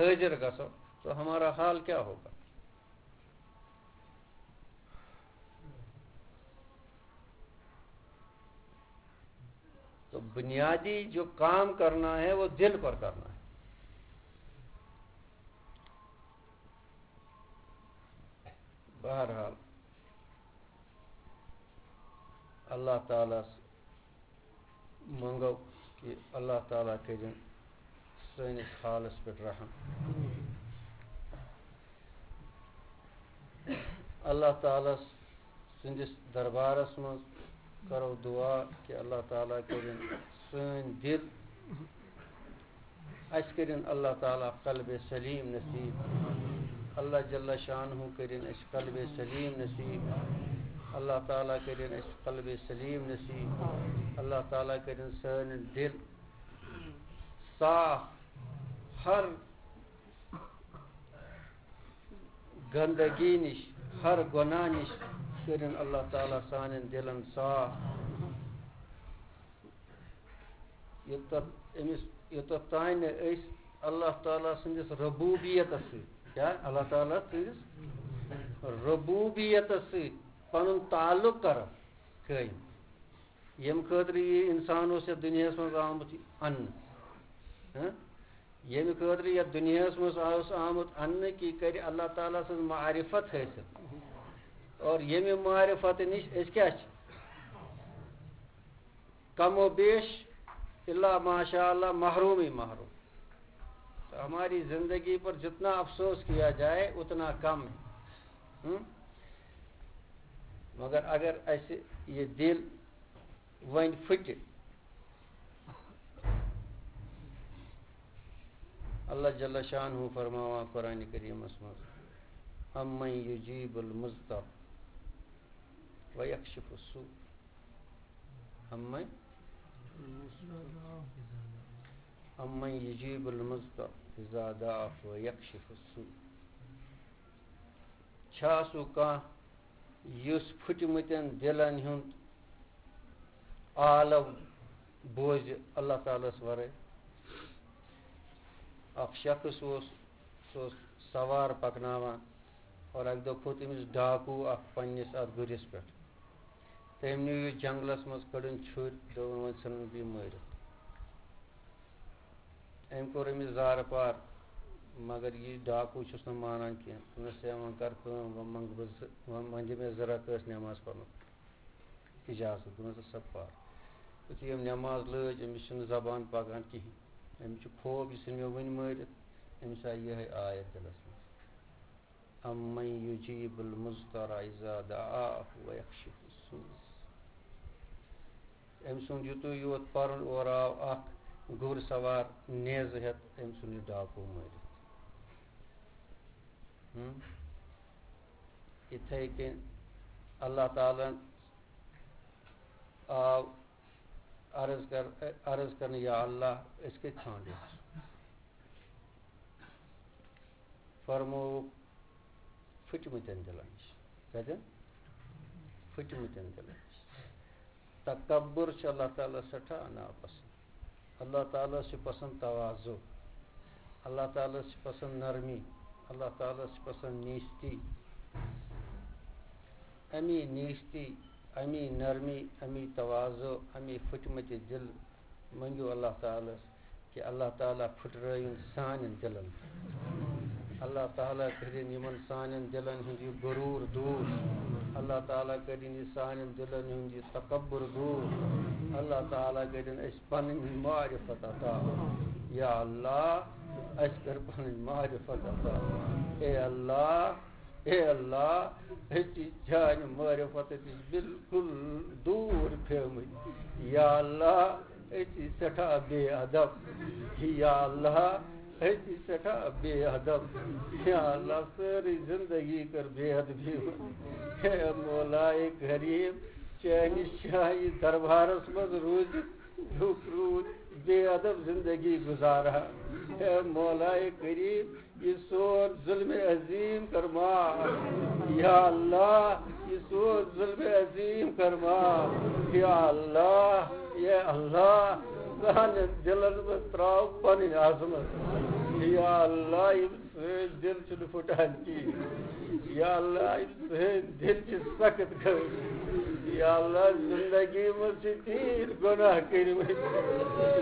حٲضِر گژھو، تو ہمارا حال کیا ہوگا؟ تو بنیادی جو کام کرنا ہے، وہ دل پر کرنا ہے۔ بہرحال، اللہ تعالیٰ منٛگو کہِ اللہ تعالیٰ کٔرِن سٲنِس حالس پٮ۪ٹھ رحم۔ اللہ تعالیٰ سٕنٛدِس دربارس منٛز کرو دعا کہِ اللہ تعالیٰ کٔرِن سٲنۍ دِل، اَسہِ کٔرِن اللہ تعالیٰ قلبِ سلیم نصیب۔ اللہ جل شانہ کٔرِن اَسہِ قلبِ سلیم نصیب۔ اللہ تعالیٰ کٔرِن اَسہِ قلبِ سلیم نصیب۔ اللہ تعالیٰ کٔرِن سٲنۍ دِل صاف، ہر گندگی نِش، ہر گۄناہ نِش کٔرِن اللہ تعالیٰ سانٮ۪ن دِلن صاف۔ یوٚتتھ أمِس، یوٚتتھ تام نہٕ أسۍ اللہ تعالیٰ سٕنٛدِس ربوبیتس سۭتۍ، کیٛاہ؟ اللہ تعالیٰ سٕنٛدِس ربوبیتس سۭتۍ پنُن تعلق کرو قٲیِم، ییٚمہِ خٲطرٕ یہِ انسان اوس یتھ دُنیاہس منٛز آمُت اننہٕ، ہہ؟ ییٚمہِ خٲطرٕ یتھ دُنیاہس منٛز اوس آمُت اننہٕ، کہِ یہِ کرِ اللہ تعالیٰ سٕنٛز معرفت حٲصِل۔ اور ییٚمہِ معرفت نِش أسۍ کیٛاہ چھِ؟ کم و بیش، الا ماشاء اللہ، محروم ہی محروم۔ تو ہماری زندگی پر جتنا افسوس کیا جائے، اتنا کم ہے۔ ہم؟ مگر اگر اَسہِ یہِ دِل وۄنۍ پھٕٹہِ، اللہ جل شانہ فرماوان قرآن کریمس منٛز، امن یجیب المضطر ویکشف السوء۔ امن، امن یجیب المضطر اذا دعاه ویکشف السوء۔ چھا سُہ کانٛہہ یُس پھٕٹمٕتٮ۪ن دِلن ہُنٛد عالم بوزِ اللہ تعالیٰ ہَس ورٲے۔ اکھ شخص اوس، سُہ اوس سوار پکناوان اور اکہِ دۄہ کھوٚت أمِس ڈاکوٗ اکھ پننِس اتھ گُرِس پٮ۪ٹھ۔ تٔمۍ نیوٗ یہِ جنگلس منٛز، کٔڑٕن چھُرۍ، دوٚپُن، "وۄنۍ ژھٕنُن بہٕ یہِ مٲرِتھ۔" أمۍ کوٚر أمِس زارٕ پار، مگر یہِ ڈاکوٗ چھُس نہٕ مانان کینٛہہ۔ دوٚپنَس، "ہے، وۄنۍ کر کٲم، وۄنۍ منٛگہٕ بہٕ زٕ، وۄنۍ، وۄنۍ دِ مےٚ زٕ رکٲژ نٮ۪ماز پرنُک اجازت۔" دوٚپنَس، "سا پر۔" یُتھُے أمۍ نٮ۪ماز لٲج، أمِس چھِنہٕ زبان پکان کِہیٖنۍ۔ أمِس چھُ خوف، یہِ ژھٕنہِ مےٚ وٕنۍ مٲرِتھ۔ أمِس آیہِ یِہوٚے آیت دِلس منٛز، "امن یجیب المضطر اذا دعاه ویکشف السوء۔" أمۍ سُنٛد یُتُے یوت پَرُن، اورٕ آو اکھ گُر سوار نیزٕ ہٮ۪تھ، أمۍ سُنٛد یہِ ڈاکوٗ مٲرِتھ۔ ہُم؟ یِتھَے کٔنۍ اللہ تعالیٰ ہن آو عرض کر-، عرض کرنہٕ، "یا اللہ، أسۍ کتہِ ژھانٛڈو؟" فرمووُکھ، "پھٕٹمٕتٮ۪ن دِلن نِش۔" کتٮ۪ن؟ پھٕٹمٕتٮ۪ن دِلن نِش۔ تکبر چھُ اللہ تعالیٰ سٮ۪ٹھاہ ناپسنٛد۔ اللہ تعالیٰ چھُ پسنٛد تواضع۔ اللہ تعالیٰ چھُ پسنٛد نرمی۔ اللہ تعالیٰ چھُ پسنٛد نیستی۔ امی نیستی، امی نرمی، امی تواضع، امی پھٕٹمٕتہِ دِل منٛگِو اللہ تعالیٰ ہَس کہ اللہ تعالیٰ پھٕٹرٲیِن سانٮ۪ن دِلَن۔ اللہ تعالیٰ کٔرِن یِمَن سانٮ۪ن دِلَن ہُنٛد یہِ غروٗر دوٗر۔ اللہ تعالیٰ کٔرِن یہِ سانٮ۪ن دِلَن ہُنٛد یہِ تکبر دوٗر۔ اللہ تعالیٰ کٔرِن اَسہِ پَنٕنۍ معرفت عطا۔ یا اللہ، اَسہِ کٔر پَنٕنۍ معرفت عطا۔ اے اللہ، اے اللہ، أسۍ چھِ چانہِ معرفت نِش بالکل دوٗر پیمٕتۍ۔ یا اللہ، أسۍ چھِ سٮ۪ٹھاہ بے ادب۔ یا اللہ، أسۍ چھِ سٮ۪ٹھاہ بے ادب۔ یا اللہ، سٲرٕے زندگی کٔر بے ادبی منٛز۔ ہے مولائے کریم، چانہِ شاہی دربارس منٛز روٗزِتھ دُکھ روٗد، بے ادب زندگی گُزاران۔ ہے مولائے کریم، یہِ سون ظلم عظیم کر معاف۔ یا اللہ، یہِ سون ظلم عظیم کر معاف۔ یا اللہ، یا اللہ، سانٮ۪ن دِلن منٛز ترٛاو پنٕنۍ عظمت۔ یا اللہ، یِم سٲنۍ دِل چھِنہٕ پھُٹان کِہیٖنۍ۔ یا اللہ، یِم سٲنۍ دِل چھِ سخت گٔمٕتۍ۔ یا اللہ، زندگی منٛز چھِ تیٖتۍ گۄناہ کٔرمٕتۍ۔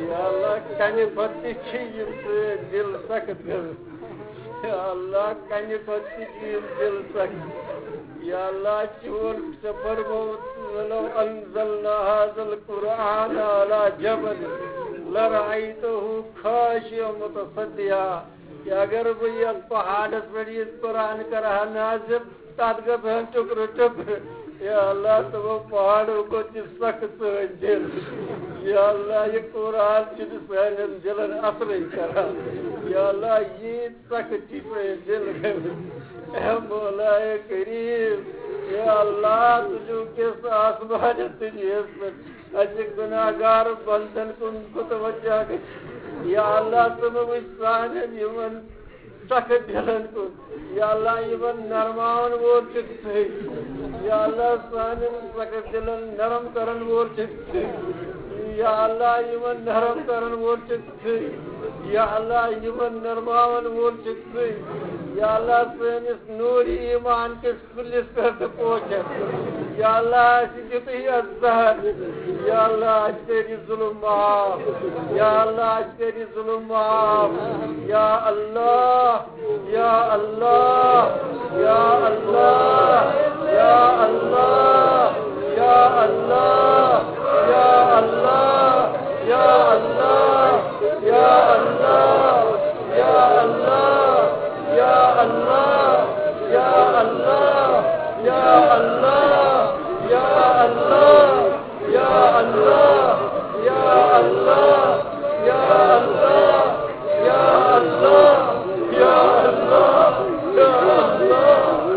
یا اللہ، کَنہِ پَتہٕ تہِ چھِ یِم سٲنۍ دِل سخت گٔمٕتۍ۔ یا اللہ، کَنہِ پَتہٕ تہِ چھِ یِم دِل سخت۔ یا اللہ، چون ژےٚ فرمووُتھ، "ولو انزلنا هذا القرآن على جبل لرأيته خاشعا متصدعا"۔ کہ اگر بہٕ یتھ پہاڑس پٮ۪ٹھ یہِ قرآن کرٕ ہا نازل، تتھ گژھٕ ہن ٹُکرٕ ٹُکرٕ۔ یا اللہ، تِمو پہاڑو کھۄتہٕ تہِ سخت سٲنۍ دِل۔ یا اللہ، یہِ قرآن چھُنہٕ سانٮ۪ن دِلن اثرٕے کران۔ یا اللہ، ییٖتۍ سخت چھِ سٲنۍ دِل گٔمٕتۍ۔ اے مولائے کریم، یا اللہ، ژٕ چھُکھ کِس آسمانس دُنیاہس پٮ۪ٹھ۔ اَسہِ گُناہگار بندن کُن متوجہ گٔژھِتھ۔ یا اللہ، ژٕ مہٕ وٕچھ سانٮ۪ن یِمن سخت دِلن کُن۔ یا اللہ، یِمن نرماون وول چھُکھ ژٕے۔ یا اللہ، سانٮ۪ن سخت دِلن نرم کرن وول چھُکھ ژٕے۔ یا اللہ، یِمن نرم کرن وول چھُکھ ژٕے۔ یا اللہ، یِمن نرماون وول چھُکھ ژٕے۔ یا اللہ، سٲنِس نوٗرِ ایمان کِس کُلِس پٮ۪ٹھ تہٕ پوشن۔ یا اللہ، اَسہِ دیُتُے یَتھ زہر۔ یا اللہ، اَسہِ کٔرۍ یہِ ظُلُم معاف۔ یا اللہ، اَسہِ کٔرۍ یہِ ظُلُم معاف۔ یا اللہ، یا اللہ، یا اللہ، یا اللہ، یا اللہ، یا اللہ، یا اللہ، یا اللہ، یا اللہ، یا اللہ، یا اللہ، یا اللہ، یا اللہ، یا اللہ، یا اللہ، یا اللہ، یا اللہ، یا اللہ، یا اللہ۔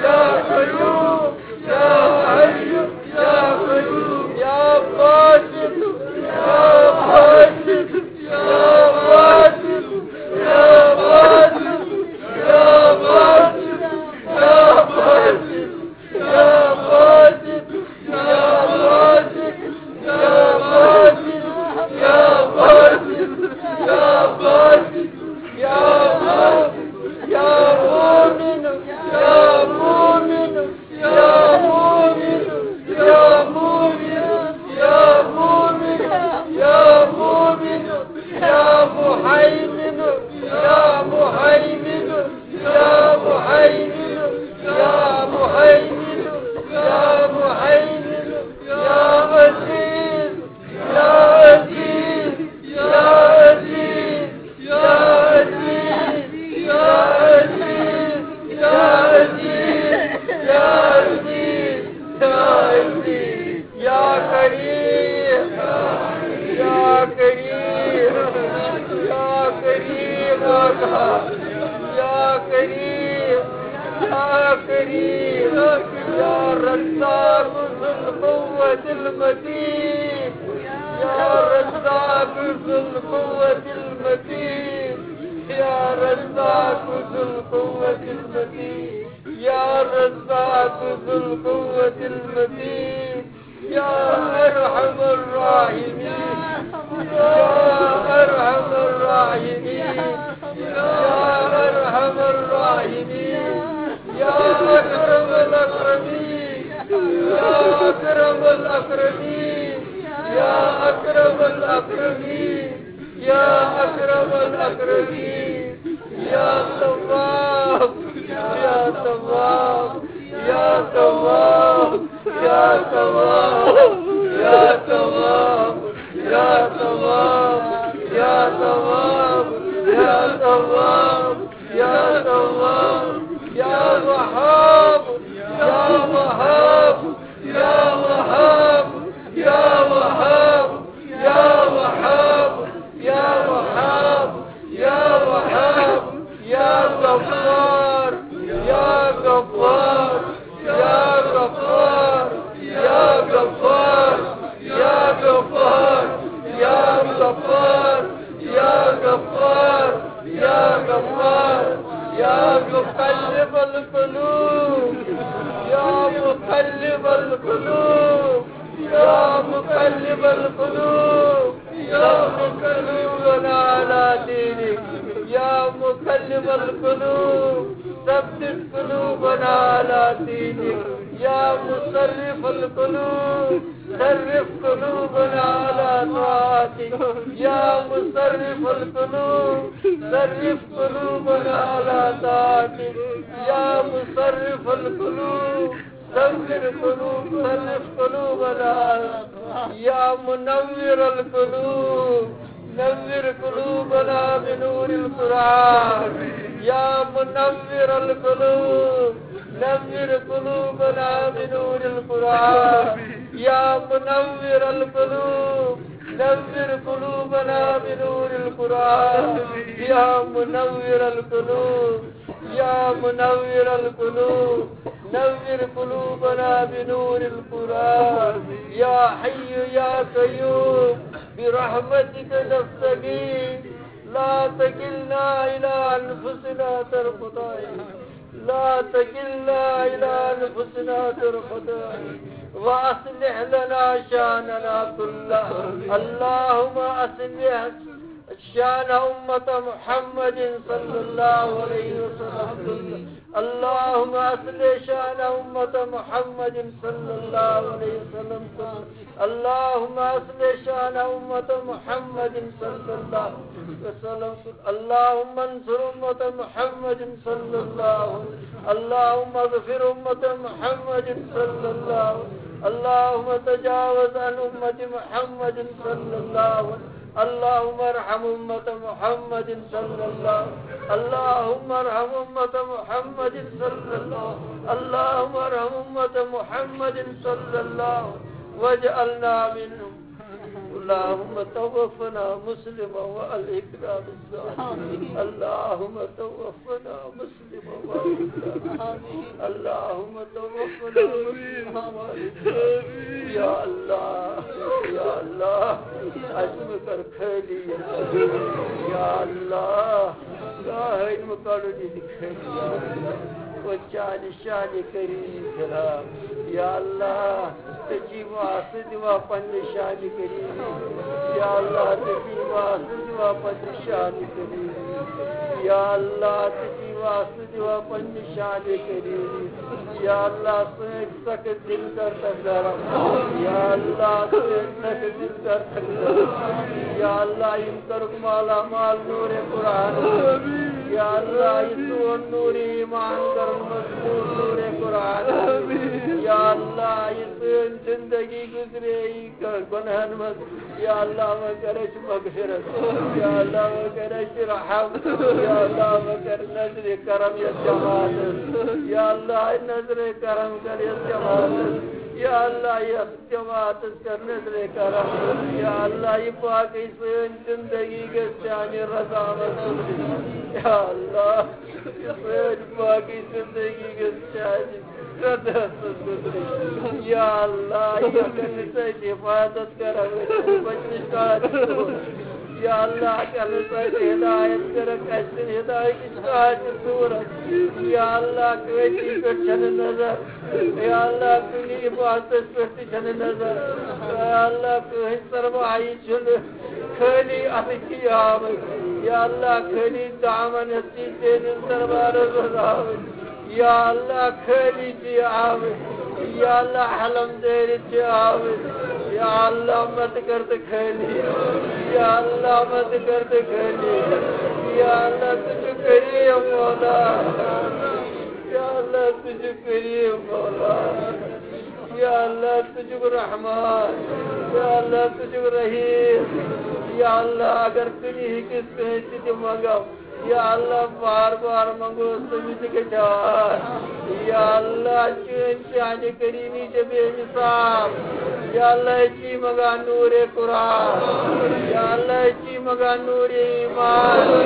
يا قيوم، يا حي، يا قيوم، يا باسط، يا باسط، يا باسط، يا باسط، يا باسط، يا باسط، يا باسط، يا باسط، يا باسط، يا باسط، يا باسط، يا باسط، يا مؤمن، يا مؤمن، يا مؤمن، يا مؤمن، يا مؤمن، يا مؤمن، يا مهيمن، يا مهيمن، يا مهيمن، يا مهيمن، يا مهيمن، يا عزيز، يا عزيز، يا عزيز، يا عزيز، يا عزيز، يا عزيز، يا عزيز، يا عزيز، يا كريم، يا كريم، يا كريم، يا كريم، يا كريم، يا رزاق ذو القوة المتين، يا رزاق ذو القوة المتين، يا رزاق ذو القوة المتين، يا رزاق ذو القوة المتين، يا أرحم الراحمين، يا أرحم الراحمين، يا أرحم الراحمين، يا أكرم الأكرمين، يا أكرم الأكرمين، يا أكرم الأكرمين، يا أكرم الأكرمين، يا تواب، يا تواب، يا تواب، يا تواب، يا تواب، يا تواب، يا تواب، يا تواب، يا تواب، يا وهاب، يا وهاب، يا وهاب، يا وهاب، يا وهاب، يا وهاب، يا وهاب، يا غفار، يا غفار، يا غفار، يا غفار، يا غفار، يا غفار، يا غفار، يا غفار، يا مقلب القلوب، يا مقلب القلوب، يا مقلب القلوب، ثبت قلوبنا على دينك. يا مقلب القلوب، ثبت قلوبنا على دينك. يا مصرف القلوب، صرف قلوبنا على طاعتك. يا مصرف القلوب، صرف قلوبنا على طاعتك. يا مصرف القلوب، صرف قلوب، صرف قلوبنا على، يا منور القلوب، نور قلوبنا بنور القرآن. يا منور القلوب، نور قلوبنا بنور القرآن. يا منور القلوب، نور قلوبنا بنور القرآن. يا منور القلوب، يا منور القلوب، نور قلوبنا بنور القرآن. يا حي يا قيوم، برحمتك نستغيث، لا تكلنا إلى أنفسنا طرفة عين، لا تكلنا إلى أنفسنا طرفة عين، وأصلح لنا شأننا كله. اللهم أصلح شأن أمة محمد صلى الله عليه وسلم كله. اللهم أصلح شأن أمة محمد صلى الله عليه وسلم كله. اللهم أصلح شأن أمة محمد صلى الله عليه وسلم كله. اللهم انصر أمة محمد صلى الله عليه وسلم. اللهم اغفر أمة محمد صلى الله عليه وسلم. اللهم تجاوز عن أمة محمد صلى الله عليه وسلم. اللهم ارحم أمة محمد صلى الله. اللهم ارحم أمة محمد صلى الله. اللهم ارحم أمة محمد صلى الله. واجعلنا منهم. اللهم توفنا مسلما وألحقنا بالصالحين. اللهم توفنا مسلما وألحقنا. اللهم توفنا مسلما وألحقنا. یا اللہ، یا اللہ، اَسہِ مہٕ کر خٲلی۔ یا اللہ، کٕہٕنۍ مہٕ کڑُن ییٚتہِ خٲلی۔ یا اللہ، وۄنۍ چانہِ شانہِ کریٖم فِراق۔ یا اللہ، ژےٚ چھی واسطہٕ دِوان پننہِ شانہِ کریٖم۔ یا اللہ، ژےٚ چھی واسطہٕ دِوان پننہِ شانہِ کریٖم۔ یا اللہ، ژےٚ چھی واسطہٕ دِوان پننہِ شانہِ کریٖم۔ یا اللہ، سٲنۍ سخت دل کر تک نرم۔ یا اللہ، سٲنۍ سخت دل کر تک نرم۔ یا اللہ، یِم کرُکھ مالا مال نورِ قرآن۔ یا اللہ، یہِ سون نورِ ایمان کرُن مضبوط نورِ قرآن۔ یا اللہ، یہِ سٲنۍ زندگی گزرے یہِ گۄنہن منٛز۔ یا اللہ، وۄنۍ کر اَسہِ مغفرت۔ یا اللہ، وۄنۍ کر اَسہِ رحم۔ یا اللہ، وۄنۍ کر نظرِ کرم یَتھ جماعتس۔ یا اللہ، نظرِ کرم کر یَتھ جماعتس۔ یا اللہ، یَتھ جماعتس کر نظرِ کرم۔ یا اللہ، یہِ باقٕے سٲنۍ زندگی گژھِ چانہِ رضا منٛز۔ یا اللہ، یہِ سٲنۍ باقٕے زندگی گژھِ چانہِ رضا منٛز گُزرٕنۍ۔ یا اللہ، یہِ کٔرِتھ اَسہِ حفاظت کرم، أسۍ چھِنہٕ بچنٕچ کانٛہہ تہِ صوٗرت۔ یا اللہ، کٔرِتھ اَسہِ ہدایت کرم، اَسہِ چھِنہٕ ہدایتٕچ کانٛہہ تہِ صوٗرت۔ یا اللہ، کٲفی پٮ۪ٹھ چھَنہٕ نظر۔ یا اللہ، کُنہِ عبادتس پٮ۪ٹھ تہِ چھَنہٕ نظر۔ یا اللہ، کٕہٕنۍ سرمایہِ چھُنہٕ، خٲلی اَتھٕ چھی آمٕتۍ۔ یا اللہ، خٲلی دامن ہٮ۪تھ چھی چٲنِس دربارس منٛز آمٕتۍ۔ یا اللہ، خٲلی چھی آمٕتۍ۔ یا اللہ، حلم دٲرِتھ چھی آمٕتۍ۔ یا اللہ، مت کر تہٕ خٲلی۔ یا اللہ، مت کر تہٕ خٲلی۔ یا اللہ، ژٕ چھُکھ کریٖم مولا۔ یا اللہ، ژٕ چھُکھ کریٖم مولا۔ یا اللہ، ژٕ چھُکھ رحمان۔ یا اللہ، ژٕ چھُکھ رحیٖم۔ یا اللہ، اگر کُنہِ ہِکِس کٲنٛسہِ تہِ منٛگو، یا اللہ، بار بار منٛگو، تٔمِس تہِ گژھِ آ۔ یا اللہ، چٲنۍ شانِ کریٖمی چھےٚ بے مثال۔ یا اللہ، أسۍ چھی منٛگان نورِ قرآن۔ یا اللہ، أسۍ چھی منٛگان نورِ ایمان۔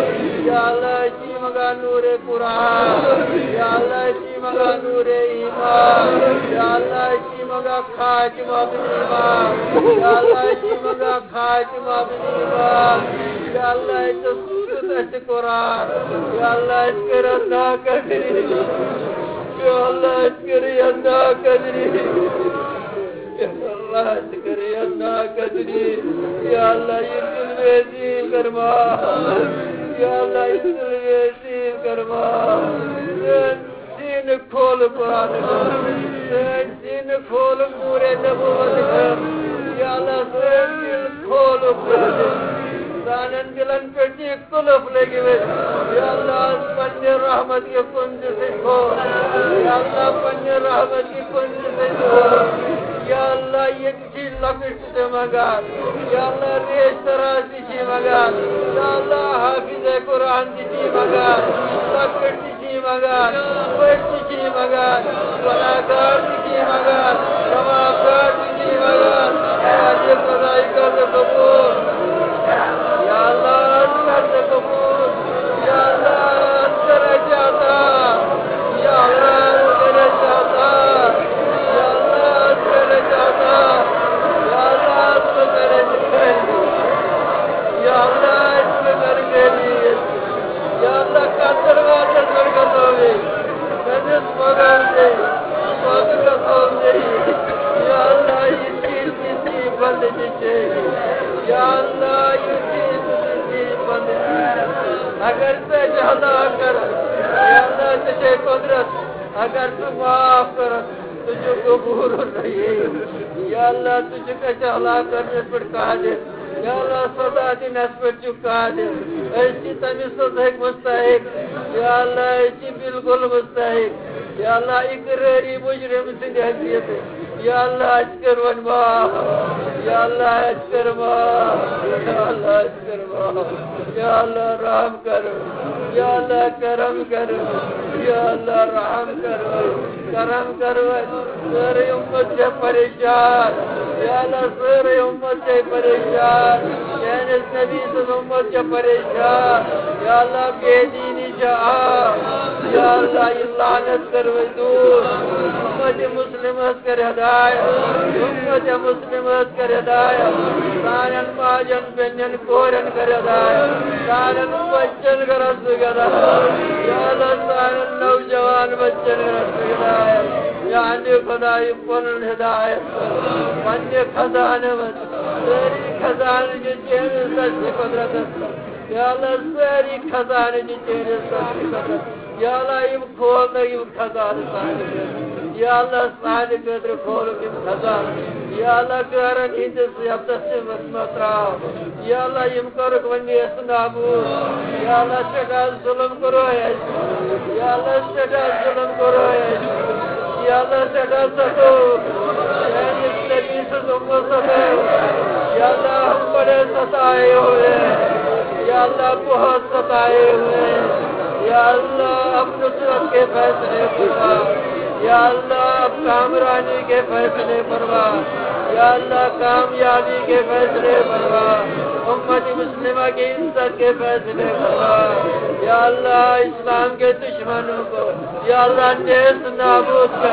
یا اللہ، أسۍ چھی منٛگان نورِ قرآن۔ یا اللہ، أسۍ چھی منٛگان نورِ ایمان۔ یا اللہ، أسۍ چھی منٛگان خاتمہ بالایمان۔ یا اللہ، أسۍ چھی منٛگان خاتمہ بالایمان۔ یا اللہ، ژےٚ سوٗزُتھ اَسہِ قرآن۔ یا اللہ، اَسہِ کٔر اَتھ ناقدری۔ یا اللہ، اَسہِ کٔر یَتھ ناقدری۔ یا اللہ، اَسہِ کٔر یَتھ ناقدری۔ یا اللہ، یہِ ظلمِ عظیٖم کر معاف۔ یا اللہ، یہِ ظلمِ عظیٖم کر معاف۔ سیٖنہٕ کھول قرآن۔ سٲنۍ سیٖنہٕ کھول نورِ نبوت۔ یا اللہ، سٲنۍ دِل کھول قرآن۔ سانٮ۪ن دِلن پٮ۪ٹھ دِ قلف لٔگِتھ۔ یا اللہ، پننہِ رحمت کہِ کُنزِ سۭتۍ کھول۔ یا اللہ، پننہِ رحمت کہِ کُنزِ سۭتۍ کھول۔ یا اللہ، ییٚتہِ چھِ لۄکٕٹۍ تہِ منٛگان۔ یا اللہ، ریش تراش تہِ چھِ منٛگان۔ یا اللہ، حافظ قرآن تہِ چھِ منٛگان۔ لۄکٕٹۍ تہِ چھِ منٛگان، بٔڑۍ تہِ چھِ منٛگان، گۄناہگار تہِ چھِ منٛگان، ثوابگار تہِ چھِ منٛگان۔ اے خداے، کر ژٕ قبوٗل۔ یا اللہ، کر ژٕ قبوٗل۔ یا اللہ، کر اَسہِ عطا۔ یا اللہ، کر اَسہِ عطا۔ یا اللہ، کر اَسہِ عطا۔ یا اللہ، کر اَسہِ خیر۔ یا اللہ، کر خیر۔ یا اللہ، کتھ دروازس پٮ۪ٹھ گژھو أسۍ؟ کٔمِس منٛگو أسۍ؟ کوٚت گژھو أسۍ؟ یا اللہ، یہِ چیٖز تہِ چھی بندگی چٲنی۔ یا اللہ، یہِ چیٖز تہِ چھی بندگی۔ اگر ژٕ اَسہِ ہلاک کرکھ، یا اللہ، ژےٚ چھے قدرت۔ اگر ژٕ معاف کرکھ، ژٕ چھُکھ غفور الرحیم۔ یا اللہ، ژٕ چھُکھ اَسہِ ہلاک کرنس پٮ۪ٹھ قادر۔ یا اللہ، سزا دِنس پٮ۪ٹھ چھُکھ قادر۔ أسۍ چھِ تَمہِ سزہٕکۍ مستحق۔ یا اللہ، أسۍ چھِ بالکل مستحق۔ یا اللہ، اقرٲری مجرم سٕنٛدِ حیثیت۔ یا اللہ، اَسہِ کر وۄنۍ معاف۔ یا اللہ، اَسہِ کر معاف۔ یا اللہ، اَسہِ کر معاف۔ یا اللہ، رحم کر۔ یا اللہ، کرم کر۔ یا اللہ، رحم کر۔ کرم کر۔ سٲرٕے اُمت چھےٚ پریشان۔ یا اللہ، سٲرٕے اُمت چھے پریشان، میٲنِس نبی سٕنٛز اُمت چھے پریشان۔ یا اللہ، بے دیٖنی چھے عام۔ یا اللہ، یہِ لعنت کٔرِو دوٗر۔ اُمت مسلمس کر ہدایت، اُمت مسلمس کر ہدایت۔ سانٮ۪ن ماجن، بیٚنٮ۪ن، کورٮ۪ن کر ہدایت، سانٮ۪ن بچن کر ہدایت۔ یا اللہ، سانٮ۪ن نوجوان بچن کر ہدایت۔ یا اللہ خدا، یہِ پنُن ہدایت، پننہِ خزانہٕ منٛز سٲری خزانہٕ چھِ چٲنِس دستِ قۄدرتس منٛز۔ یا اللہ، سٲری خزانہٕ چھِ چٲنِس دستِ قۄدرتس۔ یا اللہ، یِم کھولنہٕ یِم خزانہٕ سانہِ خٲطرٕ۔ یا اللہ، سانہِ خٲطرٕ کھولُکھ یِم خزانہٕ۔ یا اللہ، غٲرن ہٕنٛدِس یَتَس منٛز مہ ترٛاو۔ یا اللہ، یِم کٔرٕکھ وۄنۍ نیست نابود۔ یا اللہ، سٮ۪ٹھاہ ظلم کوٚرُے اَسہِ۔ یا اللہ، سٮ۪ٹھاہ ظلم کوٚرُے اَسہِ۔ یا اللہ، سٮ۪ٹھاہ ستوو۔ چٲنِس نبی سٕنٛز اُمت ستوو۔ یا اللہ، ہم بڑے ستائے ہوئے ہیں۔ یا اللہ، بہت ستائے ہوئے ہیں۔ یا اللہ، اب نصرت کے فیصلے فرما۔ یا اللہ، اب کامرانی کے فیصلے فرما۔ یا اللہ، کامیابی کے فیصلے فرما۔ امت مسلمہ کی عزت کے فیصلے فرما۔ یا اللہ، اسلام کے دشمنوں کو، یا اللہ، نیست نابود کر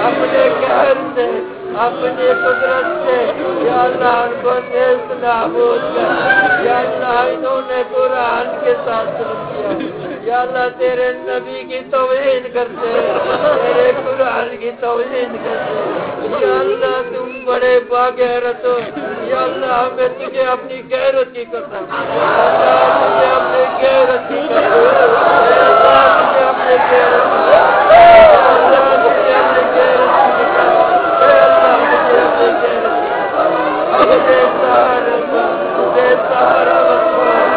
اپنے قہر سے، اپنی قدرت سے۔ یا اللہ، ان کو نیست نابود کر۔ یا اللہ، انہوں نے قرآن کے ساتھ ظلم کیا۔ یا اللہ، تیرے نبی کی توہین کرتے ہیں، تیرے قرآن کی توہین کرتے ہیں۔ یا اللہ، تم بڑے باغیرت ہو۔ یا اللہ، ہمیں تجھے اپنی غیرت کی قسم۔ یا اللہ، تجھے اپنی غیرت کی قسم۔ یا اللہ، تجھے اپنی غیرت کی قسم۔ یا اللہ، تجھے اپنی غیرت کی قسم۔ یا اللہ، تجھے اپنی غیرت کی قسم۔ ہم بے سہارا، بے سہارا مت چھوڑ۔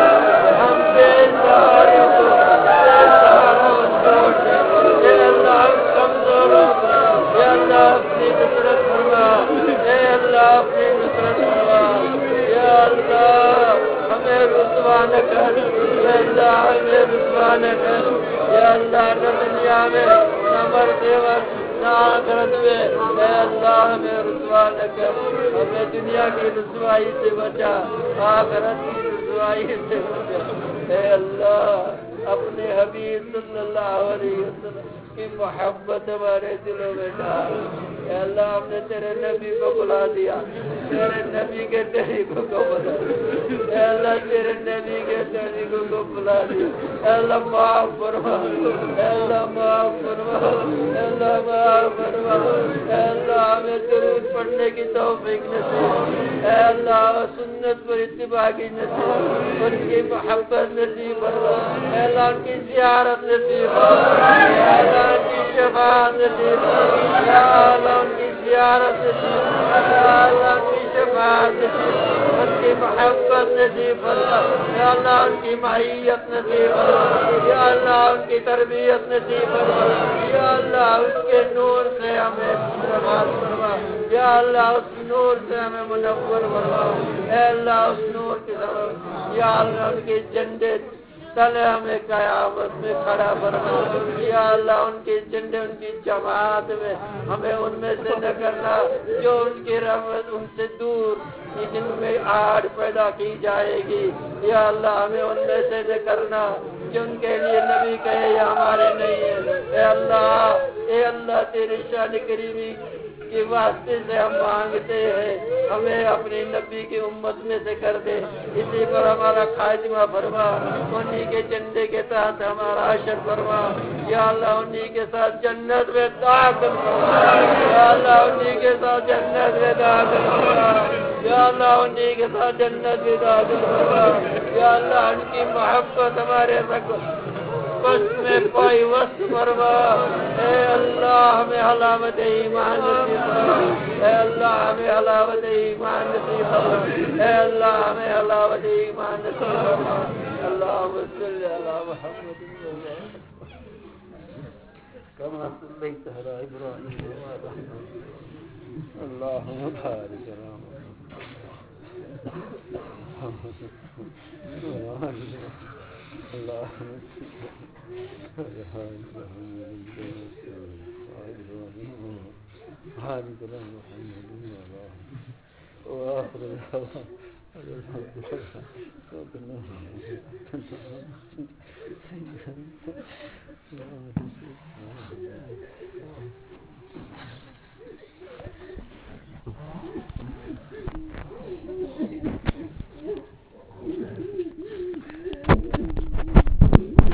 ہم بے سہارا، بے سہارا مت چھوڑ۔ اے اللہ، ہم کمزوروں کو، یا اللہ، اپنی نصرت فرما۔ اے اللہ، اپنی نصرت فرما۔ یا اللہ، ہمیں رسوا نہ کر۔ اے اللہ، ہمیں رسوا نہ کر۔ یا اللہ، نہ دنیا میں، نہ مرتے وقت، نہ آخرت میں۔ اے اللہ، ہمیں رسوا نہ کر۔ ہمیں دنیا کی رسوائی سے بچا، آخرت کی رسوائی سے بچا۔ اے اللہ، اپنے حبیب صلی اللہ علیہ وسلم کی محبت ہمارے دلوں میں ڈال۔ اے اللہ، ہم نے تیرے نبی کو بھلا دیا، تیرے نبی کے طریقوں کو بھلا دیا۔ اے اللہ، تیرے نبی کے طریقوں کو بھلا دیا۔ اے اللہ، معاف فرما۔ اے اللہ، معاف فرما۔ اے اللہ، معاف فرما۔ اے اللہ، ہمیں درود پڑھنے کی توفیق نصیب۔ اے اللہ، سنت پر اتباع کی نصیب، ان کی محبت نصیب فرما۔ اے اللہ، ان کی زیارت نصیب فرما۔ اے اللہ، ان کی شفاعت نصیب فرما۔ یا اللہ، ان کی زیارت نصیب فرما۔ یا اللہ، ان کی شفاعت نصیب فرما۔ ان کی محبت نصیب فرما۔ یا اللہ، ان کی معیت نصیب فرما۔ یا اللہ، ان کی تربیت نصیب فرما۔ یا اللہ، اس کے نور سے ہمیں نواز فرما۔ یا اللہ، اس نور سے ہمیں منور فرما۔ اے اللہ، اس نور کے سبب، یا اللہ، ان کے جھنڈے تلے ہمیں قیامت میں کھڑا فرما۔ یا اللہ، ان کے جھنڈے، ان کی جماعت میں، ہمیں ان میں سے نہ کرنا جو ان کی رحمت ان سے دور، جن میں آڑ پیدا کی جائے گی۔ یا اللہ، ہمیں ان میں سے نہ کرنا جن کے لیے نبی کہے، یہ ہمارے نہیں ہے۔ اے اللہ، اے اللہ، تیرے شان کریمی کے واسطے سے ہم مانگتے ہیں، ہمیں اپنی نبی کی امت میں سے کر دے، اسی پر ہمارا خاتمہ فرما، انہی کے جھنڈے کے تحت ہمارا حشر فرما۔ یا اللہ، انہی کے ساتھ جنت میں داخل فرما۔ یا اللہ، انہی کے ساتھ جنت میں داخل فرما۔ یا اللہ، انہی کے ساتھ جنت میں داخل فرما۔ یا اللہ، ان کی محبت ہمارے رگ پشت میں پائی وسط فرما۔ اے اللہ، ہمیں حلاوت ایمان نصیب فرما۔ اے اللہ، ہمیں حلاوت ایمان نصیب فرما۔ اے اللہ، ہمیں حلاوت ایمان نصیب فرما۔ اللهم صل على محمد وعلى آل محمد كما صليت على إبراهيم وعلى آل إبراهيم. اللهم بارك على محمد. اللهم صل على محمد وعلى آل محمد. بارك على محمد وعلى آل محمد. وآخر دعوانا أن الحمد لله رب العالمين.